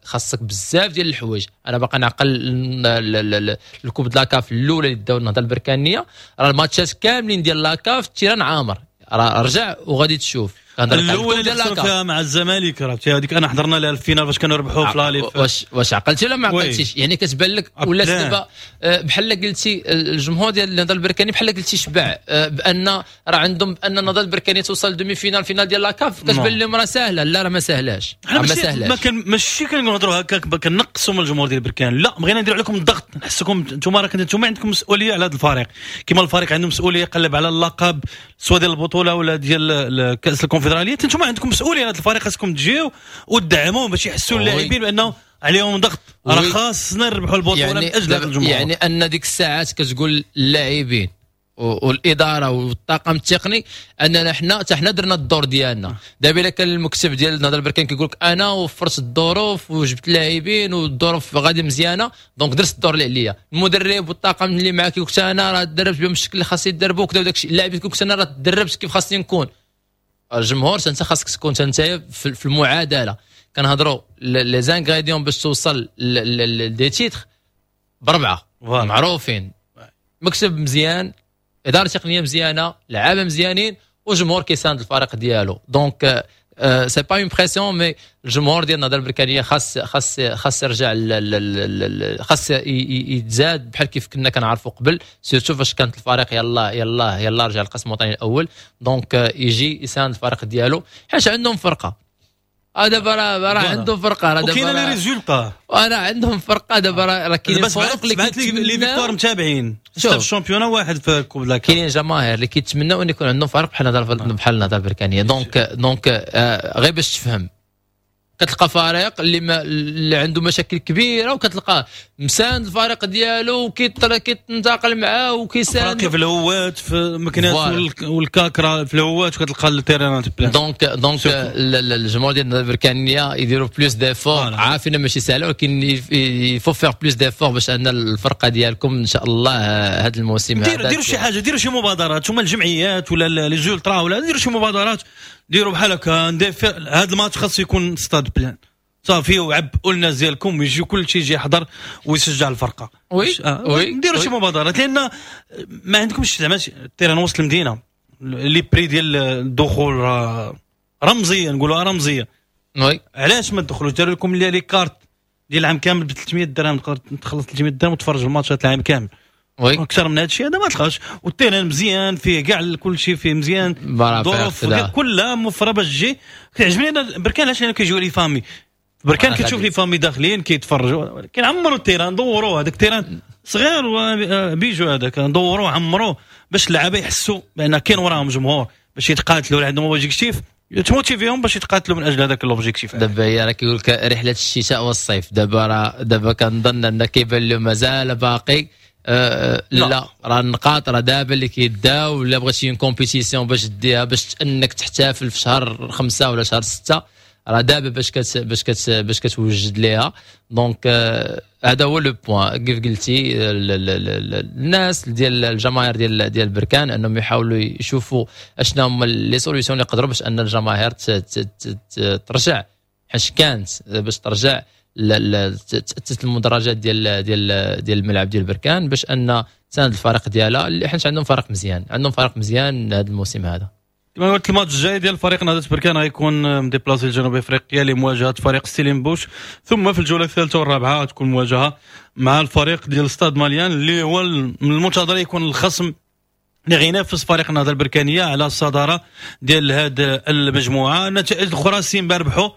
خاصك بزاف ديال الحوايج. انا باقي نعقل ال coupe ديال la CAF الاولى اللي داو النهضة البركانيه، راه الماتشات كاملين ديال la CAF ال terrain عامر. راه رجع وغادي تشوف. الاولى اللي خسروا فيها مع الزمالك، راه هذيك انا حضرنا لها ال finale فاش كانوا ربحوا في l'aller. واش عقلتي ولا ما عقلتيش؟ يعني كتبان لك ولا دابا بحال قلتي الجمهور ديال النهضة البركاني بحال قلتي شبع بان راه عندهم، بان النهضة البركانيه توصل demi-finale، finale ديال la CAF، كتبان لهم راه ساهله. لا، راه ما ساهلاش، ما ساهلاش. ما كان ماشي كنهضروا هكاك كنقصوا من الجمهور ديال بركان، لا، بغينا نديروا عليكم الضغط، نحسكم انتم راه انتم عندكم مسؤولية على هذا الفريق، كما الفريق عنده مسؤولية يقلب على اللقب سواء ديال البطولة ولا ديال كاس الكونفدراليه، انتم عندكم مسؤولية على هذا الفريق، خاصكم تجيو وتدعموه باش يحسوا اللاعبين بانه عليهم ضغط، راه خاصنا نربحوا البطولة يعني من اجل هذا الجمهور. يعني ان ديك الساعات كتقول اللاعبين والادارة والطاقم التقني اننا حنا حتى حنا درنا الدور ديالنا. دابا الا كان المكتب ديال النهضة البركان كيقول لك انا وفرت الظروف وجبت اللاعبين والظروف غادي مزيانه، donc درت الدور اللي عليا. المدرب والطاقم اللي معاك كيقول لك انا راه دربت بهم الشكل اللي خاص يدربوا وكذا وداك الشيء. اللاعبين كيقول لك انا راه دربت كيف خاصني نكون. الجمهور انت خاصك تكون انت في المعادله. كنهضروا les ingrédients باش توصل des titres بربعه معروفين: مكتب مزيان، ادارة تقنية مزيانه، لعابه مزيانين، وجمهور كيساند الفريق ديالو. donc c'est pas une pression، mais الجمهور ديال النهضة البركانيه خاص يرجع، خاص يتزاد بحال كيف كنا كنعرفوا قبل، surtout فاش كانت الفريق يلا يلا يلا رجع القسم الوطني الاول. donc يجي يساند الفريق ديالو حيت عندهم فرقه. دابا راه عندهم فرقه، راه دابا كاين les résultats. راه عندهم فرقه دابا، راه كاين فرق اللي les victoires متابعين في ال championnat، واحد في coupe la كاينين جماهير اللي كيتمناو ان يكون عندهم فريق بحال النهضة البركانيه. donc غير باش تفهم، كتلقى فريق اللي عنده مشاكل كبيرة وكتلقاه مساند الفريق ديالو وكيتنتقل معاه وكيساند. في الهوات في مكناس والكاكرا في الهوات وكتلقى ال terrain plein. donc الجمهور ديال البركانيه يديروا plus d'efforts، عارفين ماشي سهله، ولكن il faut faire plus d'efforts باش ان الفرقة ديالكم ان شاء الله هذا الموسم هذا ديروا شي حاجه، ديروا شي مبادرات هما الجمعيات ولا les ultras ولا ديروا شي مبادرات، ديروا بحال هكا هذا الماتش خاص يكون stade plein صافي، وعبئوا الناس ديالكم ويجي كل شيء يجي يحضر ويشجع الفرقه. oui. نديروا شي مبادرات، لان ما عندكمش زعما terrain وسط المدينه، les prix ديال الدخول رمزيه، نقولوها رمزيه. علاش ما تدخلوش؟ داروا لكم les cartes ديال العام كامل ب 300 درهم، تقدر تخلص 300 درهم وتفرج الماتشات العام كامل. اكثر من هذا الشيء هذا ما تلقاش، وال terrain مزيان فيه كاع كل شيء فيه مزيان، الظروف كلها موفره باش تجي. كيعجبني انا بركان علاش؟ كيجيو les familles بركان، كتشوف les familles داخلين كيتفرجوا، ولكن عمروا ال terrain، دوروه، هذاك ال terrain صغير bijou هذاك، دوروه عمروه باش اللعابه يحسوا بان كاين وراهم جمهور باش يتقاتلوا، عندهم objectif تموتيفيهم باش يتقاتلوا من اجل هذاك l'objectif. دابا هي راه كيقول لك رحله الشتاء والصيف. دابا راه دابا كنظن ان كيبان له مازال باقي لا، راه النقاط راه دابا اللي كيداو، ولا بغيتي une compétition باش ديها باش انك تحتفل في شهر 5 ولا شهر 6، راه دابا باش كتوجد ليها. donc هذا هو le point، كيف قلتي الناس ديال الجماهير ديال بركان انهم يحاولوا يشوفوا اشنا هما les solutions اللي يقدروا باش ان الجماهير ترجع حيت كانت، باش ترجع تأسس المدرجات ديال الملعب ديال بركان باش ان تساند الفريق ديالها، اللي حيت عندهم فريق مزيان، عندهم فريق مزيان هذا الموسم هذا. كما قلت، الماتش الجاي ديال فريق نهضة بركان غيكون م déplacé لجنوب افريقيا لمواجهة فريق ستيلينبوش، ثم في الجولة الثالثة والرابعة تكون مواجهة مع الفريق ديال Stade Malien، اللي هو من المنتظر يكون الخصم اللي غينافس فريق النهضة البركانيه على الصدارة ديال هذه المجموعه. النتائج الاخرى، سيمبا ربحوا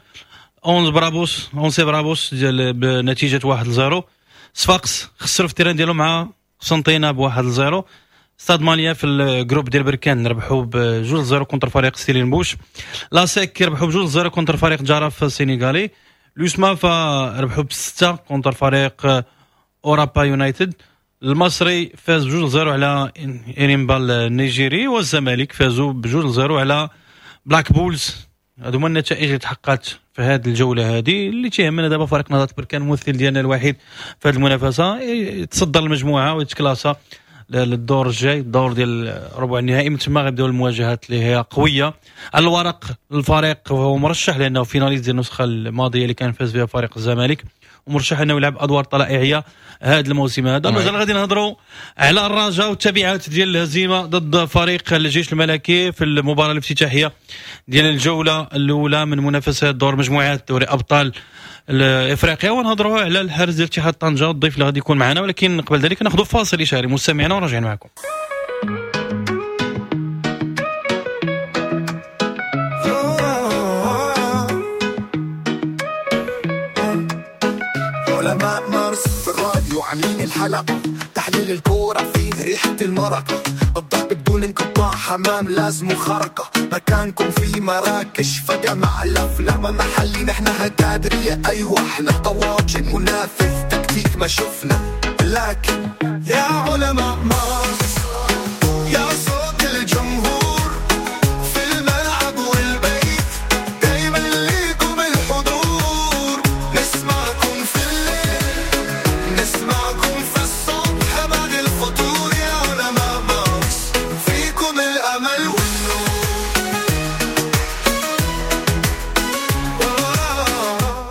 11 برابوس 11 برابوس ديال بنتيجة 1-0. صفاقس خسروا في ال terrain ديالهم مع قسنطينه ب 1-0. Stade Malien في ال groupe ديال بركان ربحوا ب 2-0 contre فريق ستيلينبوش. l'ASEC ربحوا ب 2-0 contre فريق جراف السينيغالي. l'USMA فربحوا ب 6 contre فريق اورابا يونايتد. المصري فاز ب 2-0 على إنيمبا النيجيري، والزمالك فازوا ب 2-0 على بلاك بولز. هادو هما النتائج اللي تحققت في هذه الجولة هذه. اللي تيهمنا دابا فريق نهضة بركان، الممثل ديالنا الوحيد في هذه المنافسه، يتصدر المجموعة ويتكلاسا للدور الجاي، الدور ديال ربع النهائي. من تما غيبداو المواجهات اللي هي قوية على الورق. الفريق هو مرشح لانه finaliste ديال النسخة الماضية اللي كان فاز بها فريق الزمالك. ومرشح انه يلعب ادوار طلائعيه هذا الموسم هذا. مازال غادي نهضروا على الرجاء والتبعات ديال الهزيمة ضد فريق الجيش الملكي في المباراة الافتتاحيه ديال الجولة الاولى من منافسات دور مجموعات دوري ابطال افريقيا، ونهضروا على الحارس ديال اتحاد طنجه والضيف اللي غادي يكون معنا. ولكن قبل ذلك ناخذ فاصل اشهاري مستمعينا وراجعين معكم. علماء مارس في الراديو عاملين الحلقة، تحليل الكورة فيه ريحة المرقة، الضرب بدون انقطاع، حمام لازم خرقة، مكانكم في مراكش فجمع الأفلام محلي، نحن هتادرية أيوة احنا طواجن، منافذ تكتيك ما شفنا، لكن يا علماء مارس يا صوت الجمهور في الملعب والبيت، دايما ليكم الحضور، نسمعكم في الليل نسمعكم في الصبح بعد الفطور، يا علماء مارس فيكم الأمل والنور.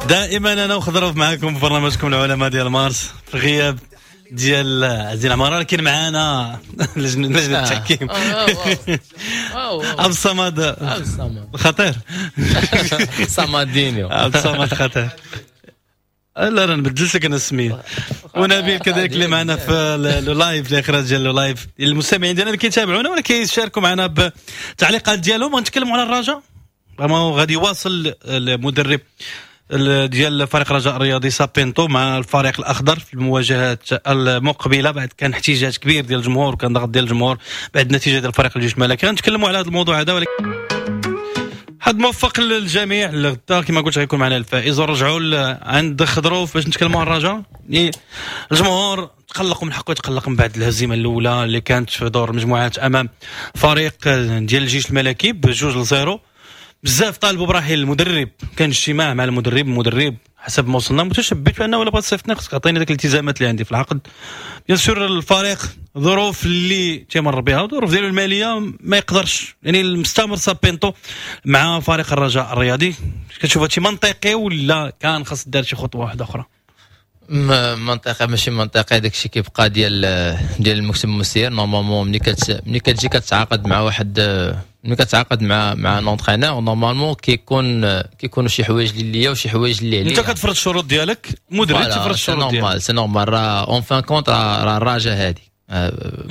دائما انا وخضروف معكم في برنامجكم العلماء ديال مارس في غياب ديال عزيز العمارة، لكن معانا لجنة التحكيم عبد الصمد خطير، صمدينيو عبد الصمد خطير، لا راه نبدلت لك انا السمية. ونبيل كذلك اللي معنا في ال live، الاخراج ديال ال live، المستمعين ديالنا اللي كيتابعونا ولا كيشاركوا معنا بالتعليقات ديالهم. غنتكلموا على الرجاء، غادي يواصل المدرب ديال فريق رجاء الرياضي سابينتو مع الفريق الاخضر في المواجهات المقبلة، بعد كان احتجاج كبير ديال الجمهور وكان ضغط ديال الجمهور بعد النتيجة ديال فريق الجيش الملكي. غنتكلموا على هذا الموضوع هذا، ولكن حد موفق للجميع. غدا كما قلت غيكون معنا الفائز، ونرجعوا عند خضروف باش نتكلموا على الرجاء. الجمهور تقلق من حقه يتقلق من بعد الهزيمة الاولى اللي كانت في دور المجموعات امام فريق ديال الجيش الملكي ب2-0. بزاف طالبوا برحيل المدرب، كان اجتماع مع المدرب حسب ما وصلنا متشبت بانه ولا بغات تصيفطني خصك تعطيني ديك الالتزامات اللي عندي في العقد. bien sûr الفريق ظروف اللي تيمر بها الظروف ديالو المالية ما يقدرش، يعني المستمر سابينتو مع فريق الرجاء الرياضي. كتشوف هادشي منطقي ولا كان خاص دار شي خطوة واحدة اخرى؟ منطقي ماشي منطقي، داكشي كيبقى ديال المكتب المسير. normalement ملي كتجي كتعاقد مع واحد، ملي كتعاقد مع un entraîneur normalement كيكونوا شي حوايج اللي ليا وشي حوايج اللي عليا. انت كتفرض الشروط ديالك، المدرب تفرض الشروط ديالك، c'est normal. راه en fin de compte راه الرجاء هادي،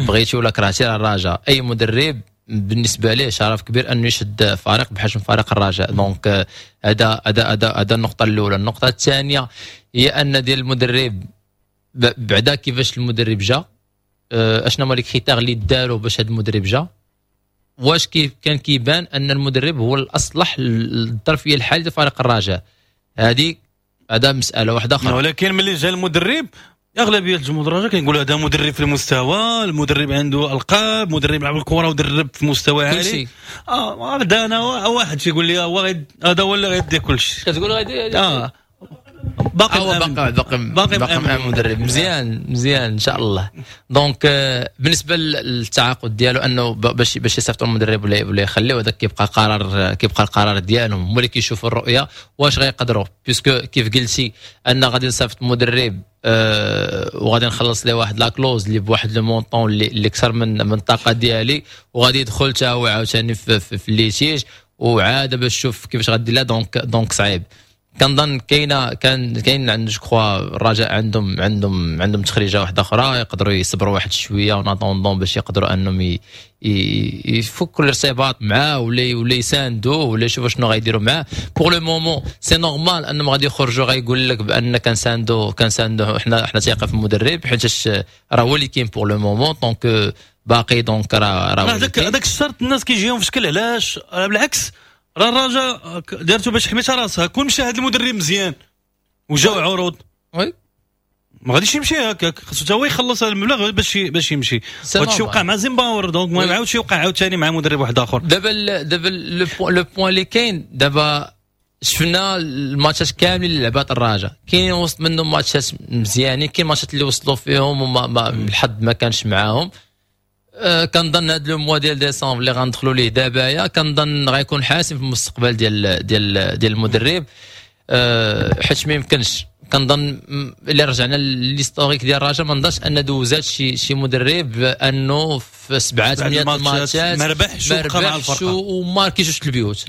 بغيتي ولا كرهتي راه الرجاء. اي مدرب بالنسبة ليه شرف كبير انه يشد فريق بحجم فريق الرجاء. donc هذا هذا هذا هذا النقطة الاولى. النقطة الثانية هي ان ديال المدرب بعدا كيفاش المدرب جا، اشنا هما les critères اللي داروا باش هذا المدرب جا، واش كيف كان كيبان ان المدرب هو الاصلح للظرفيه الحالية لفريق الرجاء. هذه هذا مسالة واحدة اخرى. ولكن ملي جا المدرب اغلبية الجمهور الرجاء كيقولوا هذا مدرب في المستوى، المدرب عنده القاب، مدرب لعب الكره ودرب في مستوى عالي. بدا انا واحد تيقول لي هو هذا هو اللي غيدي كلشي، كتقول غيدي باقي باقي مدرب مزيان مزيان ان شاء الله. donc بالنسبة للتعاقد ديالو انه باش يصيفطوا المدرب ولا يخليوه، هذاك كيبقى قرار، كيبقى القرار ديالهم، هما اللي كيشوفوا الرؤية واش غيقدروا. puisque كيف قلتي ان غادي نصيفط مدرب وغادي نخلص ليه واحد la clause اللي بواحد le montant اللي اكثر من الطاقة ديالي، وغادي يدخل حتى هو عاوتاني في ال litige وعاده باش تشوف كيفاش غادي لا. donc صعيب. كنظن كاين عند je crois الرجاء عندهم تخريجه واحدة اخرى، يقدروا يصبروا واحد شوية en attendant باش يقدروا انهم يفكوا الارتباط معاه ولا يساندوه ولا يشوفوا شنو غيديروا معاه. pour le moment c'est normal انهم غادي يخرجوا غايقول لك بان كنساندو حنا تيقف المدرب، حيت راه هو اللي كاين pour le moment. donc باقي donc راه هذاك الشرط الناس كيجيهم في شكل. علاش؟ بالعكس راه الرجاء دارتو باش حميتها راسها. كون مشى هذا المدرب مزيان وجاو عروض oui ما غاديش يمشي هكاك، خاصو حتى هو يخلص هذا المبلغ باش يمشي. وهادشي وقع مع زيمباور، donc ما عاودش يوقع عاوتاني مع مدرب واحد اخر. دابا le point اللي كاين دابا، شفنا الماتشات كاملين اللي لعبات الرجاء، كاينين وسط منهم ماتشات مزيانين، كاين ماتشات اللي وصلوا فيهم وما الحظ ما كانش معاهم. كنظن هذا le mois ديال ديسمبر اللي غندخلوا ليه دابايا كنظن غيكون حاسم في المستقبل ديال ديال ديال المدرب، حيت ما يمكنش كنظن الا رجعنا l'historique ديال الرجاء، ما نظنش ان دوزات شي مدرب انه في 7 8 الماتشات ما ربحش وبقى مع الفرقة وماركي جوج البيوت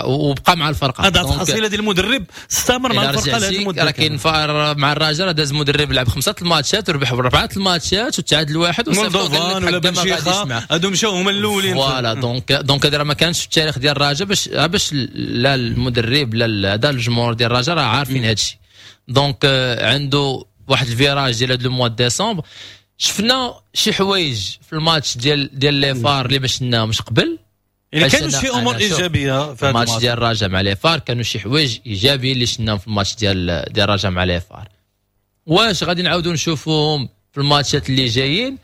وبقى مع الفرقة. هذا الحصيلة ديال المدرب استمر مع الفرقة لهذه المدة. راه كاين مع الرجاء داز مدرب لعب 5 الماتشات وربح 4 الماتشات وتعادل واحد وصيفطو ولا بن شيخه، هادو مشاو هما الاولين. voilà donc هذا راه ما كانش في التاريخ ديال الرجاء، باش لا المدرب لا هذا الجمهور ديال الرجاء راه عارفين هذا الشيء. donc عنده واحد ال virage ديال هذا le mois décembre. شفنا شي حوايج في الماتش ديال les FAR اللي ما شفناهمش قبل، يعني كانوا شي امور ايجابية في الماتش ديال الرجاء مع les FAR، كانوا شي حوايج ايجابية اللي شفناهم في الماتش ديال الرجاء مع les FAR. واش غادي نعاودوا نشوفوهم في الماتشات اللي جايين؟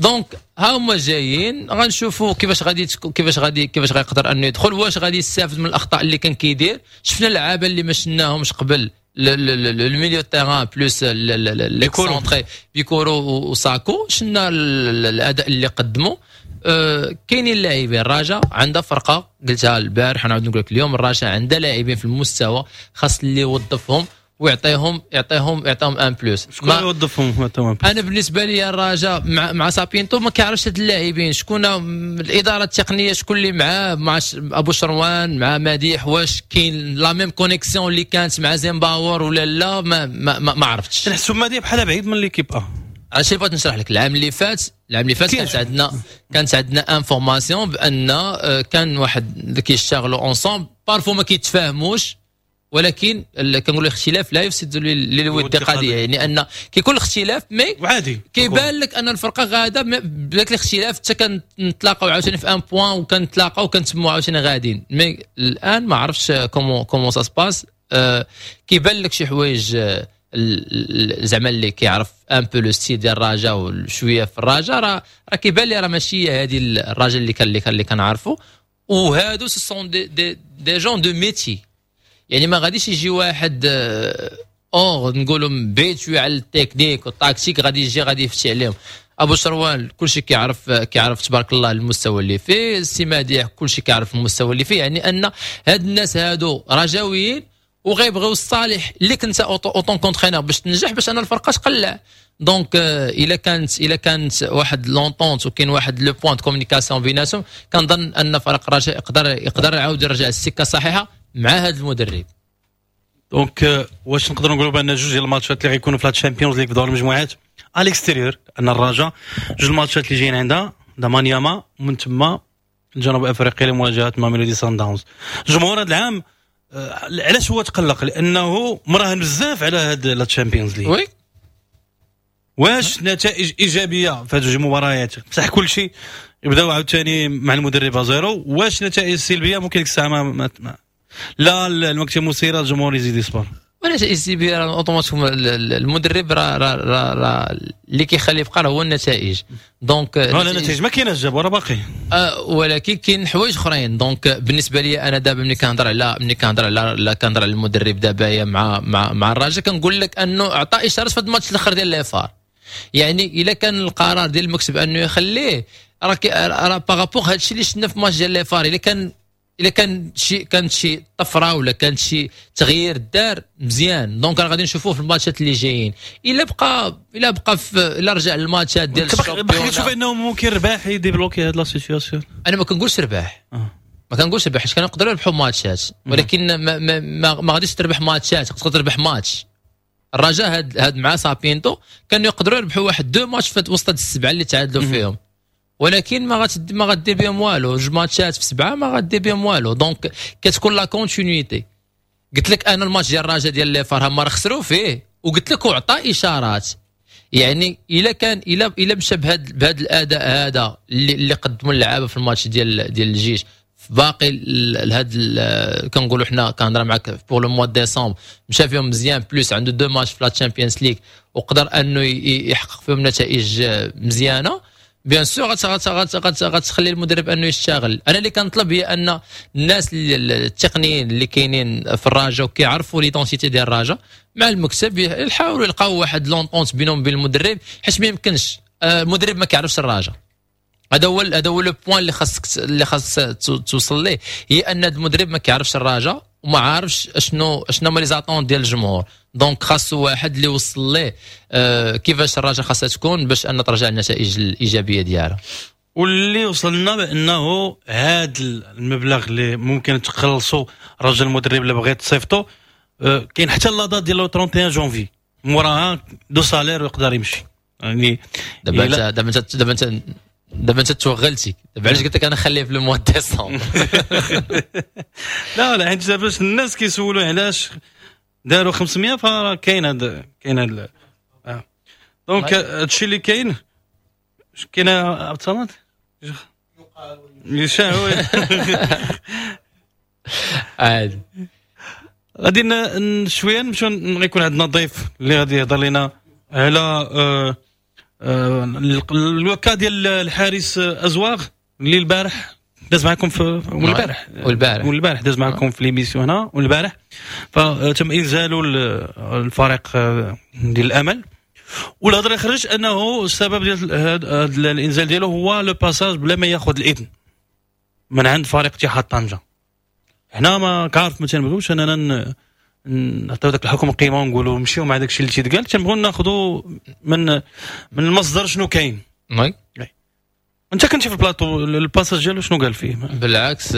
donc ها هما جايين، غنشوفوا كيفاش غادي كيفاش غيقدر انه يدخل، واش غادي يستافد من الاخطاء اللي كان كيدير. شفنا اللعابه اللي ما شفناهمش قبل، le milieu terrain plus l'excentré بيكورو وساكو، شفنا الاداء اللي قدموا. كاينين لاعبين، الرجاء عندها فرقه، قلتها البارح ونعاود نقول لك اليوم، الرجاء عندها لاعبين في المستوى، خاص اللي يوظفهم ويعطيهم يعطيهم يعطيهم un plus. شكون يوظفهم؟ انا بالنسبة لي الرجاء مع سابينتو ما كيعرفش هاد اللاعبين، شكون الادارة التقنية، شكون اللي معاه، مع ابو شروان، مع مديح، واش كاين la même connexion اللي كانت مع زيمباور ولا لا؟ ما ما, ما, ما عرفتش. نحسو مديح بحال بعيد من l'équipe. علاش بغيت نشرح لك، العام اللي فات كانت عندنا information بان كان واحد كيشتغلوا ensemble، parfois ما كيتفاهموش، ولكن كنقولوا الاختلاف لا يفسد للود قضية، يعني ان كيكون الاختلاف mais عادي كيبان لك ان الفرقة غاده بداك الاختلاف، حتى كنتلاقاو عاوتاني في un point وكنتلاقاو وكنتموا عاوتاني غاديين. mais الان ما عرفتش comment ça se passe. كيبان لك شي حوايج زعما اللي كيعرف un peu le style ديال الرجاء وشوية في الرجاء، راه كيبان لي راه ماشي هذه الرجاء اللي كنعرفوا. وهادو ce sont des gens de métier، يعني ما غاديش يجي واحد اور نقولوا بعيد شوية على ال technique وال tactique غادي يجي غادي يفتي عليهم. ابو شروان كلشي كيعرف تبارك الله المستوى اللي فيه، السي مديح كلشي كيعرف المستوى اللي فيه، يعني ان هاد الناس هادو رجاويين وغيبغيو الصالح اللي كنت en tant qu'entraîneur باش تنجح، باش ان الفرقة تقلع. donc الا كانت واحد l'entente وكاين واحد le point communication بيناتهم، كنظن ان فريق الرجاء يقدر يعاود يرجع السكة الصحيحة مع هذا المدرب. donc واش نقدروا نقولوا بان جوج ديال الماتشات اللي غيكونوا في la Champions League في دور المجموعات à l'extérieur، ان الرجاء جوج الماتشات اللي جايين عندها مانياما ومن تما جنوب افريقيا لمواجهة ماميلودي سان داونز. الجمهور هذا العام علاش هو تقلق؟ لانه مراهن بزاف على هاد la Champions League. oui واش نتائج ايجابية في هاد جوج المباريات بصح كل شيء يبداو عاوتاني مع المدرب zéro، واش نتائج سلبية ممكن ديك الساعة ما لا المكتب المسيرة الجمهور يزيد يصبر. ونتائج السلبية راه automatiquement المدرب راه راه اللي كيخلي يبقى هو النتائج. donc النتائج ما كايناش جاب راه باقي، ولكن كاين حوايج اخرين. donc بالنسبة لي انا دابا ملي كنهضر على كنهضر على المدرب دابا مع مع مع الرجاء، كنقول لك انه عطى اشارات في الماتش الاخر ديال les FAR. يعني الا كان القرار ديال المكتب انه يخليه، راه par rapport هادشي اللي شفنا في ماتش ديال les FAR، الا كان شي طفرة ولا كان شي تغيير دار مزيان، donc راه غادي نشوفوه في الماتشات اللي جايين. الا بقى الا رجع للماتشات ديال ال championnat، باقي تشوف انه ممكن رباح يديبلوكي هاد la situation. انا ما كنقولش رباح، ما كنقولش رباح، حيت كنقدروا يربحوا ماتشات، ولكن ما, ما, ما, ما غاديش تربح ماتشات، تقدر تربح ماتش. الرجاء هاد مع سابينتو كانوا يقدروا يربحوا واحد deux matchs في وسط هاد السبعة اللي تعادلوا فيهم، ولكن ما غادير بهم والو. جوج ماتشات في سبعة ما غادير بهم والو. donc كتكون la continuité. قلت لك انا الماتش ديال الرجاء ديال les FAR هما راه خسروا فيه، وقلت لك وعطى اشارات. يعني الا كان الا مشى بهذا الاداء هذا اللي قدموا اللعابه في الماتش ديال الجيش، في باقي هاد كنقولوا حنا كنهضر معاك pour le mois décembre، مشى فيهم مزيان، plus عنده deux matchs في la Champions League وقدر انه يحقق فيهم نتائج مزيانه. bien sûr غتخلي المدرب انه يشتغل. انا اللي كنطلب هي ان الناس التقنيين اللي كاينين في الرجاء وكيعرفوا l'identité ديال الرجاء مع المكتب يحاولوا يلقاو واحد l'entente بينهم وبين المدرب، حيت ما يمكنش المدرب ما كيعرفش الرجاء. هذا هو le point اللي خاص توصل ليه، هي ان المدرب ما كيعرفش الرجاء وما عارفش اشنو هما les attentes ديال الجمهور. donc خاصو واحد اللي وصل ليه كيفاش الرجاء خاصها تكون باش ان ترجع النتائج الايجابية ديالها. واللي وصلنا بانه هذا المبلغ اللي ممكن تخلصوا رجل المدرب اللي بغيت تصيفطو كاين حتى la date ديال 31 جونفي، موراها deux salaires ويقدر يمشي. يعني دابا انت توغلتي دابا، علاش قلت لك انا خليه في le mois décembre؟ لا لا، حيت باش الناس كيسولوا علاش داروا 500، فراه كاين هذا. donc هادشي اللي كاين. كاين عبد الصمد يشاهو. عادي. غادي شوية نمشيو، غيكون عندنا ضيف اللي غادي يهضر لنا على le cas ديال الحارس ازواغ اللي البارح داز معكم في والبارح. والبارح. والبارح داز معكم في l'émission هنا والبارح، فتم انزاله الفريق ديال الامل، والهضره اللي خرج انه السبب ديال هذا الانزال ديالو هو le passage بلا ما ياخذ الاذن من عند فريق اتحاد طنجه. حنا ما كعرف ما تنبغيوش اننا نعطيو داك الحكم قيمة ونقولوا نمشيو مع داك الشيء اللي تيتقال، تنبغيو ناخذوا من المصدر شنو كاين. oui. انت كنتي في ال plateau، ال passage ديالو شنو قال فيه؟ بالعكس،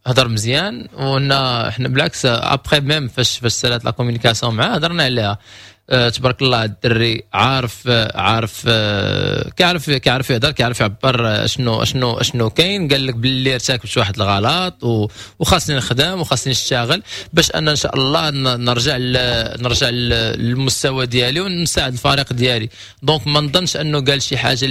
هضر مزيان، وان احنا بالعكس après même فاش سالات la communication معاه هضرنا عليها. تبارك الله الدري عارف عارف كيعرف يهضر، كيعرف يعبر اشنو كاين. قال لك باللي ارتكبت واحد الغلط وخاصني نخدم وخاصني نشتغل باش ان شاء الله نرجع للمستوى ديالي ونساعد الفريق ديالي. donc ما نظنش انه قال شي حاجة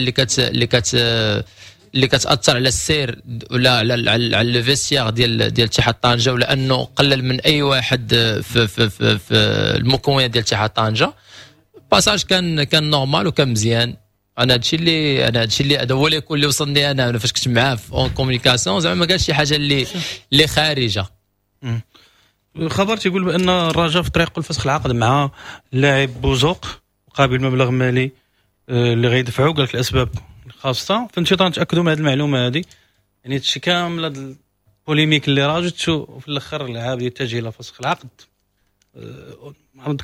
اللي كتاثر على السير ولا على le vestiaire ديال اتحاد طنجه، ولا انه قلل من اي واحد في المكونات ديال اتحاد طنجه. passage كان normal وكان مزيان. انا هادشي اللي هذا هو اللي يكون اللي وصلني انا فاش كنت معاه في en communication، زعما ما قالش شي حاجة اللي خارجه. الخبر تيقول بان الرجاء في طريق الفسخ العقد مع اللاعب بوزوق مقابل مبلغ مالي اللي غيدفعوا، قال لك الاسباب خاصه. فانت نتاكدوا من هذه المعلومة هذه. يعني هادشي كامل هاد ال polémique اللي راجت، وفي الاخر اللاعب يتجه الى فسخ العقد.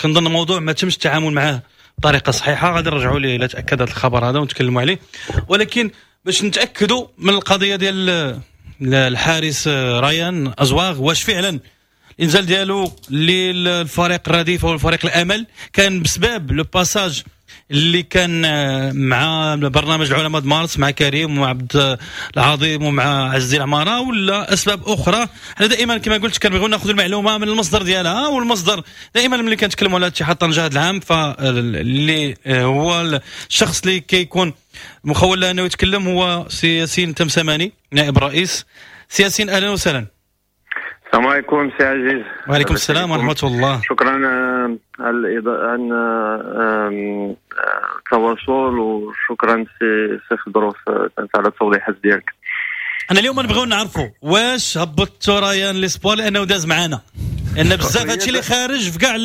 كنظن الموضوع ما تمش التعامل معاه بطريقة صحيحه. غادي نرجعوا ليه الى تاكد هذا الخبر هذا ونتكلموا عليه، ولكن باش نتاكدوا من القضية ديال الحارس ريان ازواغ، واش فعلا الانزال ديالو للفريق الرديف او الفريق الامل كان بسبب le passage اللي كان مع برنامج العلماء مارس مع كريم ومع عبد العظيم ومع عز الدين عمارة ولا اسباب اخرى؟ حنا دائما كما قلت كنبغيو ناخذ المعلومة من المصدر ديالها، والمصدر دائما ملي كنتكلموا على اتحاد طنجه هذا العام فاللي هو الشخص اللي كيكون مخول له انه يتكلم هو سي ياسين تمسماني نائب الرئيس. سي ياسين، اهلا وسهلا. السلام عليكم سي عزيز. وعليكم السلام ورحمة الله. شكرا على عن التواصل، وشكرا سي خضروف على التوضيحات ديالك. انا اليوم نبغيو نعرفوا واش هبطتوا ريان l'espoir، لانه داز معنا لان بزاف هادشي اللي خارج في كاع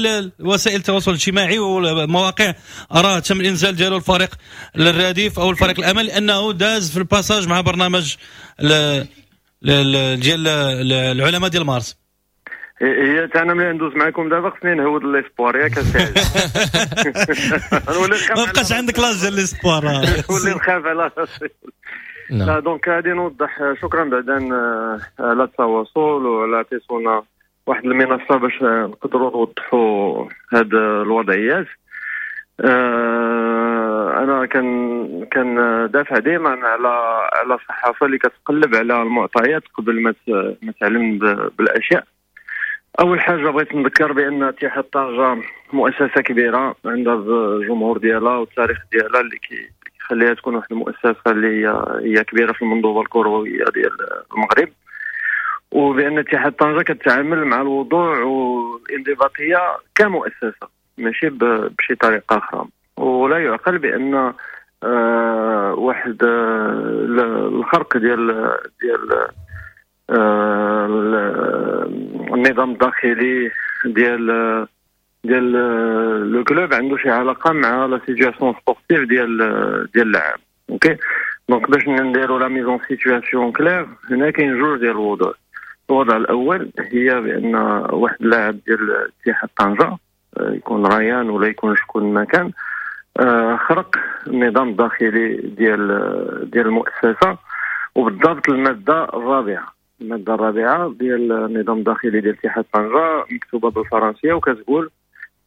وسائل التواصل الاجتماعي والمواقع، راه تم الانزال ديالو الفريق الرديف او الفريق الامل لانه داز في ال passage مع برنامج ديال العلماء ديال مارس. هي انا ملي ندوز معكم دابا خصني نهود l'espoir، ياك؟ ما بقاش عندك l'âge ديال l'espoir. نولي نخاف على راسي. لا، donc غادي نوضح. شكرا بعدا على التواصل وعلى عطيتونا واحد المنصة باش نقدروا نوضحوا هاد الوضعيات. انا كان دافع دائما على الصحافة اللي كتقلب على المعطيات قبل ما تعلم بالاشياء. اول حاجة بغيت نذكر بان اتحاد طنجه مؤسسة كبيرة عندها الجمهور ديالها والتاريخ ديالها اللي كيخليها تكون واحد المؤسسة اللي هي كبيرة في المنظومة الكروية ديال المغرب، وبان اتحاد طنجه كتعامل مع الوضوح والانضباطيه كمؤسسة ماشي بشي طريقه اخرى. ولا يعقل بان واحد الخرق ديال النظام الداخلي ديال le club عنده شي علاقة مع la situation sportive ديال اللاعب. OK، donc باش نديرو la mise en situation claire، هنا كاين جوج ديال الوضوح. الوضع الاول هي بان واحد اللاعب ديال اتحاد طنجه، يكون ريان ولا يكون شكون ما كان، خرق النظام الداخلي ديال المؤسسة، وبالضبط المادة الرابعة. المادة الرابعة ديال النظام الداخلي ديال اتحاد طنجه مكتوبة بالفرنسيه، وكتقول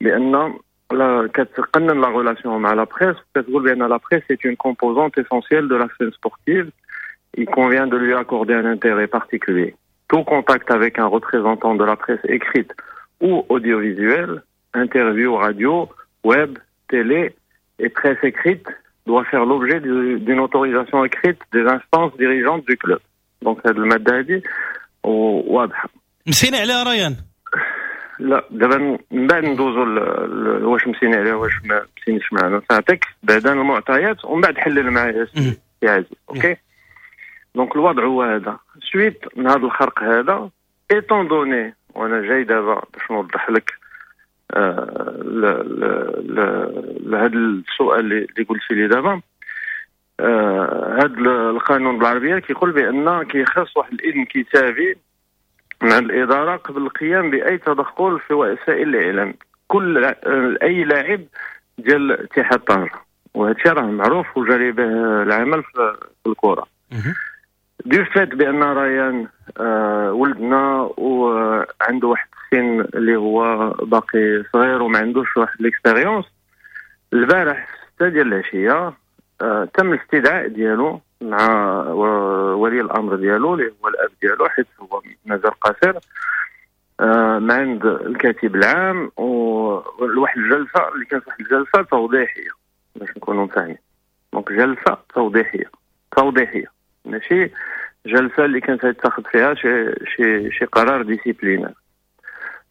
بان كتقنن la relation مع la presse، كتقول بان la presse est une composante essentielle de la scène sportive، il convient de lui accorder un intérêt particulier. Tout contact avec un représentant de la presse écrite ou audiovisuelle, interview radio, web, télé et presse écrite doit faire l'objet d'une autorisation écrite des instances dirigeantes du club. Donc هذه المادة هذه واضحة. مسيني عليها ريان؟ لا، دابا من بعد ندوزو واش مسيني عليها واش ما مسينيش معنا. نعطيك بعدا المعطيات ومن بعد حلل معايا سي عزيز. OK، donc الوضع هو هذا. suite من هذا الخرق هذا، étant donné، وانا جاي دابا باش نوضح لك لهذا السؤال اللي قلتي لي دابا، هذا القانون بالعربية كيقول بان كيخص واحد الاذن كتابي من عند الادارة قبل القيام باي تدخل في وسائل الاعلام كل اي لاعب ديال اتحاد طنجه، وهذا الشيء راه معروف وجاري به العمل في الكره. du fait بان ريان ولدنا وعنده واحد السن اللي هو باقي صغير وما عندوش واحد l'expérience، البارح 6 ديال العشية تم الاستدعاء ديالو مع ولي الامر ديالو اللي هو الاب ديالو، حيت هو مازال قاصر، مع عند الكاتب العام، وواحد الجلسة اللي كانت واحد الجلسة توضيحيه باش نكونوا فاهمين. donc جلسه توضيحيه ماشي جلسه اللي كانت يتخذ فيها شي قرار disciplinaire.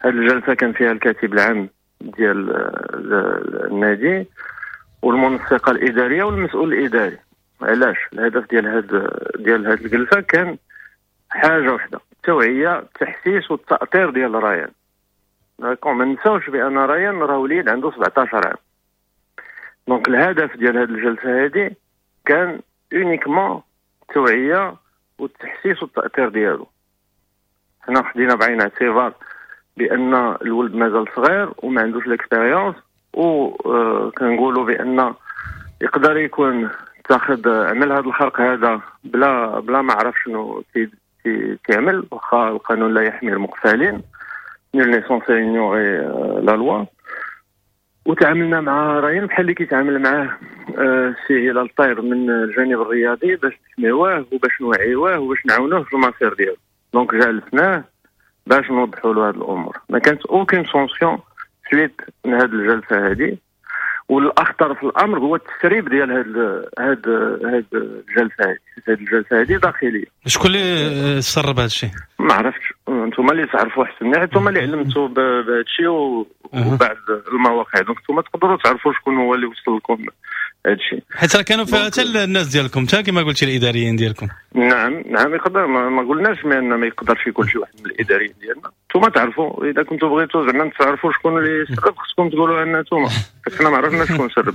هذه الجلسة كان فيها الكاتب العام ديال النادي والمنسقه الادارية والمسؤول الاداري. علاش؟ الهدف ديال هاد الجلسة كان حاجة واحده، التوعيه، التحسيس والتاطير ديال ريان. d'accord، ما نساوش بان ريان راه وليد عنده 17 عام. donc الهدف ديال هاد الجلسة هذه كان uniquement التوعية والتحسيس والتاطير ديالو. حنا خدينا بعين الاعتبار بان الولد مازال صغير وما عندوش l'expérience، وكنقولوا بان يقدر يكون تاخذ عمل هذا الخرق هذا بلا ما عرف شنو تيعمل، واخا القانون لا يحمي المغفلين، nul n'est censé ignorer la loi. وتعاملنا مع ريان بحال اللي كيتعامل معاه السي هلال الطير من الجانب الرياضي، باش نحميوه وباش نوعيوه وباش نعاونوه في المسير ديالو. donc جالسناه باش نوضحوا له هذه الامور. ما كانت aucune sanction suite من هذه الجلسة هذه. والاخطر في الامر هو التسريب ديال هاد الجلسة هذه. هاد الجلسة هذه داخليه. شكون اللي سرب هذا الشيء؟ ما عرفتش، انتم اللي تعرفوا احسن، انتم اللي علمتوا بهذا الشيء وبعد المواقع، donc انتم تقدروا تعرفوا شكون هو اللي وصل لكم هذا الشيء. حيت راه كانوا فيها حتى الناس ديالكم، حتى كما قلتي الاداريين ديالكم. نعم، يقدر، ما قلناش بان ما يقدرش يكون شي واحد من الاداريين ديالنا. انتم تعرفوا، اذا كنتوا بغيتوا زعما تعرفوا شكون اللي سرب خصكم تقولوا لنا انتم، حيت حنا ما عرفناش شكون سرب.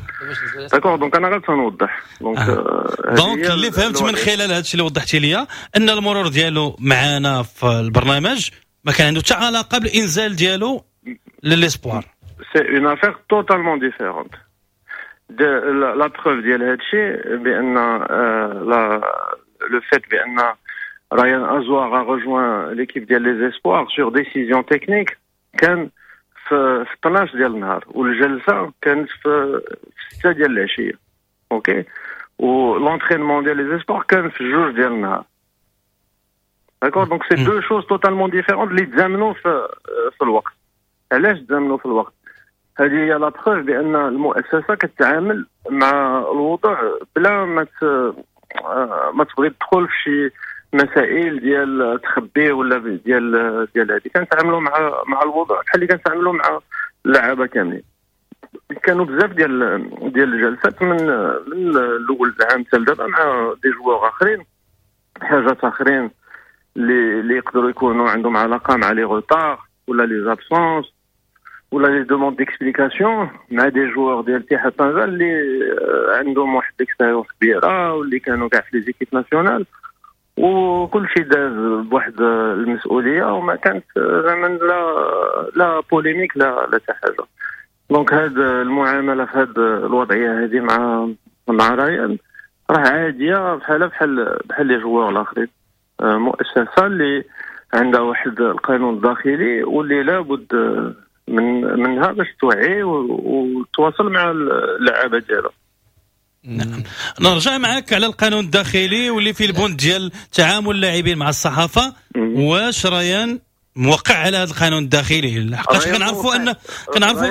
d'accord، donc انا غير تنوضح donc donc اللي فهمت من خلال هذا الشيء اللي وضحتي لي ان المرور ديالو معنا في البرنامج ما كان عنده حتى علاقة بالانزال ديالو ل les espoirs. c'est une affaire totalement différente. la preuve ديال هذا الشيء بان la le fait بان ريان ازوار a rejoint l'équipe ديال les espoirs sur décision technique كان في 12 ديال النهار، والجلسه كانت في 6 ديال العشيه. OK، و l'entraînement ديال les espoirs كان في 2 ديال النهار. d'accord، donc c'est deux choses totalement différentes اللي تزامنوا في الوقت. علاش تزامنوا في الوقت؟ هذه هي la preuve بان المؤسسة كتعامل مع الوضع بلا ما تبغي تدخل في شي مسائل ديال تخبي ولا ديال هذه. كنتعاملوا مع الوضع بحال اللي كنتعاملوا مع اللعابه كاملين. كانوا بزاف ديال الجلسات من الاول العام حتى لدابا مع des joueurs اخرين، حاجات اخرين اللي يقدروا يكونوا عندهم علاقة مع les retards ولا les absences ولا les demandes d'explication مع des joueurs ديال اتحاد طنجه اللي عندهم واحد l'expérience كبيرة واللي كانوا كاع في les équipes nationales. وكل شيء داز بواحد المسؤولية، وما كانت زعما لا polémique لا حتى حاجة. donc هاد المعاملة في هاد الوضعية هذه مع ريان راه عادية، بحال les joueurs الاخرين. مؤسسة اللي عندها واحد القانون الداخلي واللي لابد منها باش توعي وتواصل مع اللعابه ديالها. نعم، نرجع معك على القانون الداخلي واللي فيه البند ديال تعامل اللاعبين مع الصحافة. واش ريان موقع على هذا القانون الداخلي؟ لحقاش كنعرفوا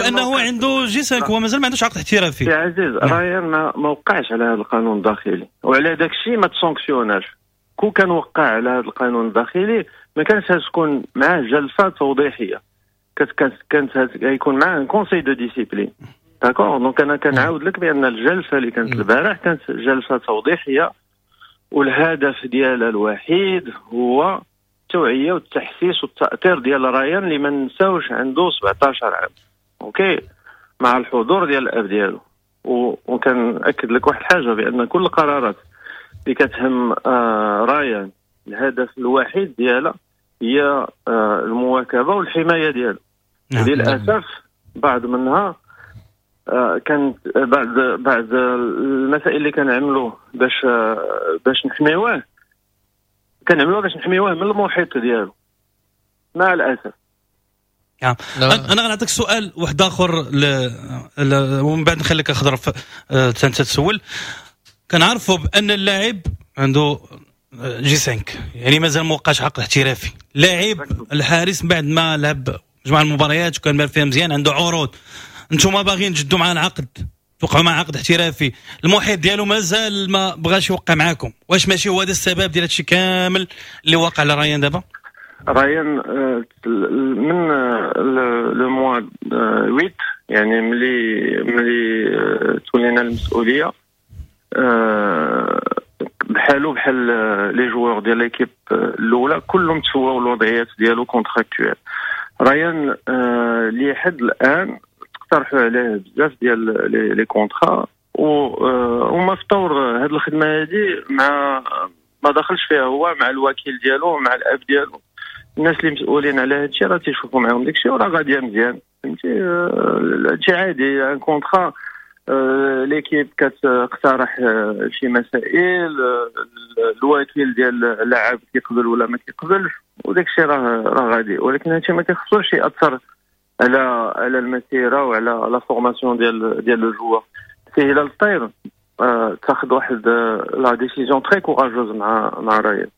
انه عنده G5، هو مازال ما عندوش عقد احترافي. يا عزيز، ريان ما وقعش على هذا القانون الداخلي، وعلى داك الشيء ما تسانكسيوناش. كون كان وقع على هذا القانون الداخلي ما كانش تكون معاه جلسه توضيحيه، كانت يكون معاه conseil de discipline. d'accord؟ donc انا كنعاود لك بان الجلسة اللي كانت البارح كانت جلسه توضيحيه، والهدف ديالها الوحيد هو التوعية والتحسيس والتاثير ديال ريان اللي ما نساوش عنده 17 عام، OK، مع الحضور ديال الاب ديالو. وكنأكد لك واحد الحاجة، بان كل القرارات اللي كتهم ريان الهدف الوحيد ديالها هي المواكبه والحماية ديالو. للاسف بعض منها كانت بعض المسائل اللي كنعملوه باش نحميوه، كنعملوه باش نحميوه من المحيط ديالو مع الاسف. نعم. انا غنعطيك سؤال واحد اخر ومن بعد نخليك اخضر انت تسول. كنعرفوا بان اللاعب عنده G5، يعني مازال ما وقعش عقد احترافي. لاعب الحارس بعد ما لعب مجموعة المباريات وكان بان فيها مزيان، عنده عروض، انتم باغيين تجدوا معاه العقد، توقعوا مع عقد احترافي، المحيط ديالو مازال ما بغاش يوقع معاكم. واش ماشي هو هذا السبب ديال هادشي كامل اللي واقع على ريان دابا؟ ريان من le mois 8، يعني ملي تولينا المسؤوليه، بحالو بحال les joueurs ديال l'équipe الاولى كلهم تسواو الوضعيات ديالو contractuelles. ريان لحد الان اقترحوا عليه بزاف ديال les contrats، وما في طور هذه الخدمة هذه مع ما دخلش فيها هو، مع الوكيل ديالو، مع الاب ديالو، الناس اللي مسؤولين على هذا الشيء راه تيشوفوا معاهم داك الشيء وراه غادية مزيان، فهمتي؟ هادشي عادي، un contrat l'équipe كتقترح شي مسائل، الوكيل ديال اللاعب كيقبل ولا ما كيقبلش، وداك الشيء راه غادي. ولكن هادشي ما كيخصوش ياثر على المسيرة وعلى la formation ديال le joueur. سي هلال الطير تاخذ واحد la décision très courageuse مع ريان.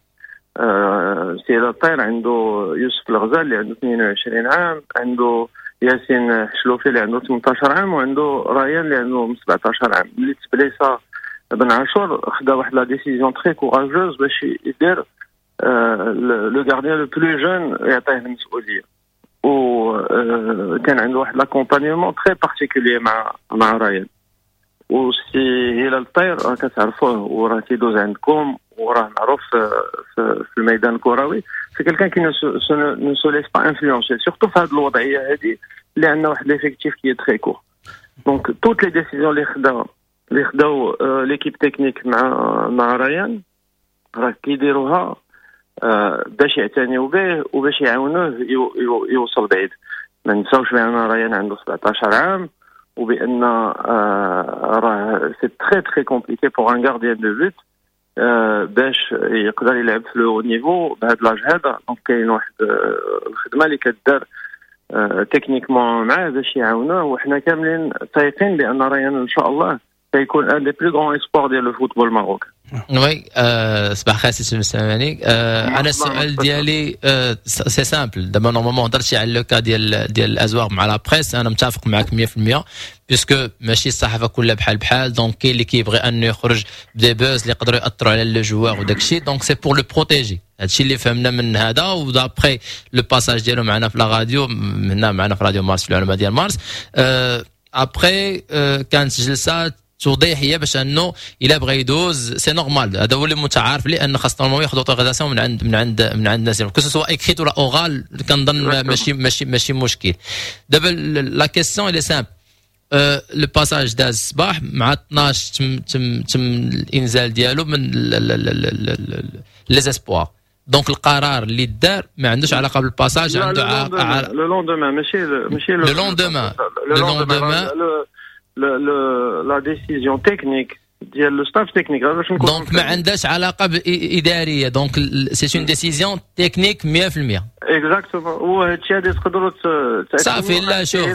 سي هلال الطير عنده يوسف الغزال اللي عنده 22 عام، عنده ياسين حشلوفي اللي عنده 18 عام، وعنده ريان اللي عنده 17 عام. ملي تبليسا بن عاشور خدا واحد la décision très courageuse باش يدير le gardien le plus jeune يعطيه المسؤوليه، وكان عنده واحد l'accompagnement très particulier مع ريان. وسي هلال الطير راه كتعرفوه وراه تيدوز عندكم وراه معروف في الميدان الكروي، c'est quelqu'un qui ne se laisse pas influencer، surtout في هذه الوضعية هذه اللي عندنا واحد l'effectif qui est très court. donc toutes les décisions اللي خداو l'équipe technique مع ريان راه كيديروها باش يعتنيو به وباش يعاونوه يوصل بعيد. ما نساوش بان ريان عنده 17 عام، وبان راه c'est très très compliqué pour un gardien de but باش يقدر يلعب في le haut niveau بهذا l'âge هذا. donc كاين واحد الخدمة اللي كدار techniquement معاه باش يعاونوه، وحنا كاملين تايقين بان ريان ان شاء الله سيكون un des plus grands espoirs ديال le football marocain. oui، صباح الخير سي سلماني. انا السؤال ديالي c'est simple. دابا normalement هضرتي على le cas ديال الازواغ مع la presse، انا متفق معك 100%، puisque ماشي الصحافة كلها بحال بحال. donc كاين اللي كيبغي انه يخرج ب des buzz اللي يقدروا ياثروا على le joueur وداك الشيء، donc c'est pour le protéger. هادشي اللي فهمنا من هذا، و d'après le passage ديالو معنا في la radio، هنا معنا في راديو مارس، في العلماء ديال مارس. après كانت جلسات توضيحيه باش انه الا بغى يدوز c'est normal، هذا هو اللي متعارف، لان خاص normalement ياخذ autorisation من عند الناس، que ce soit écrite ولا orale، كنظن ماشي مشكل. دابا la question elle est simple. le passage داز الصباح مع 12، تم الانزال ديالو من les espoirs. donc القرار اللي دار ما عندوش علاقة بال passage، عنده علاقة le lendemain، ماشي le lendemain، le lendemain la décision technique ديال le staff technique باش نكون. donc ما عندهاش علاقة ادارية، donc c'est une décision technique 100%. exactement. وهذا الشيء هذا تقدروا صافي. لا شوف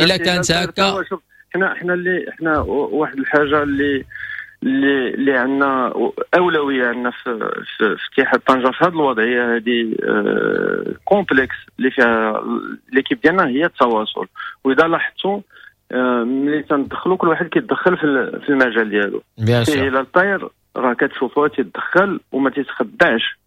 الا كانت هكا حنا اللي حنا واحد الحاجة اللي اللي اللي عندنا اولوية عندنا في اتحاد طنجه في هذه الوضعية هذه complexe اللي فيها l'équipe ديالنا هي التواصل. واذا لاحظتوا ملي تندخلوا كل واحد كيتدخل في المجال ديالو. bien الى الطاير راه كتشوفوه تيتدخل وما تيتخدعش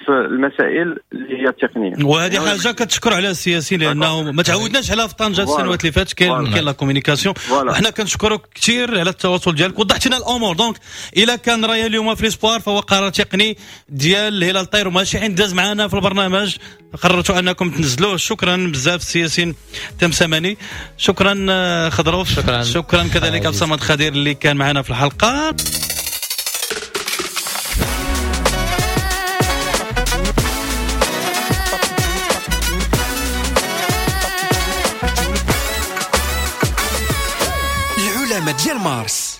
في المسائل اللي هي التقنية، وهذه حاجة كتشكر عليها السياسيين لانه ما تعودناش عليها في طنجه السنوات اللي فاتت. كاين la communication، وحنا كنشكرك كثير على التواصل ديالك، وضحت لنا الامور. donc الا كان رايه اليوم في l'espoir فهو قرار تقني ديال هلال الطير وماشي عند داز معنا في البرنامج، قررتوا انكم تنزلوه. شكرا بزاف السي ياسين تمسماني، شكرا خضروف، شكرا كذلك عبد الصمد خدير اللي كان معنا في الحلقة. ديال مارس.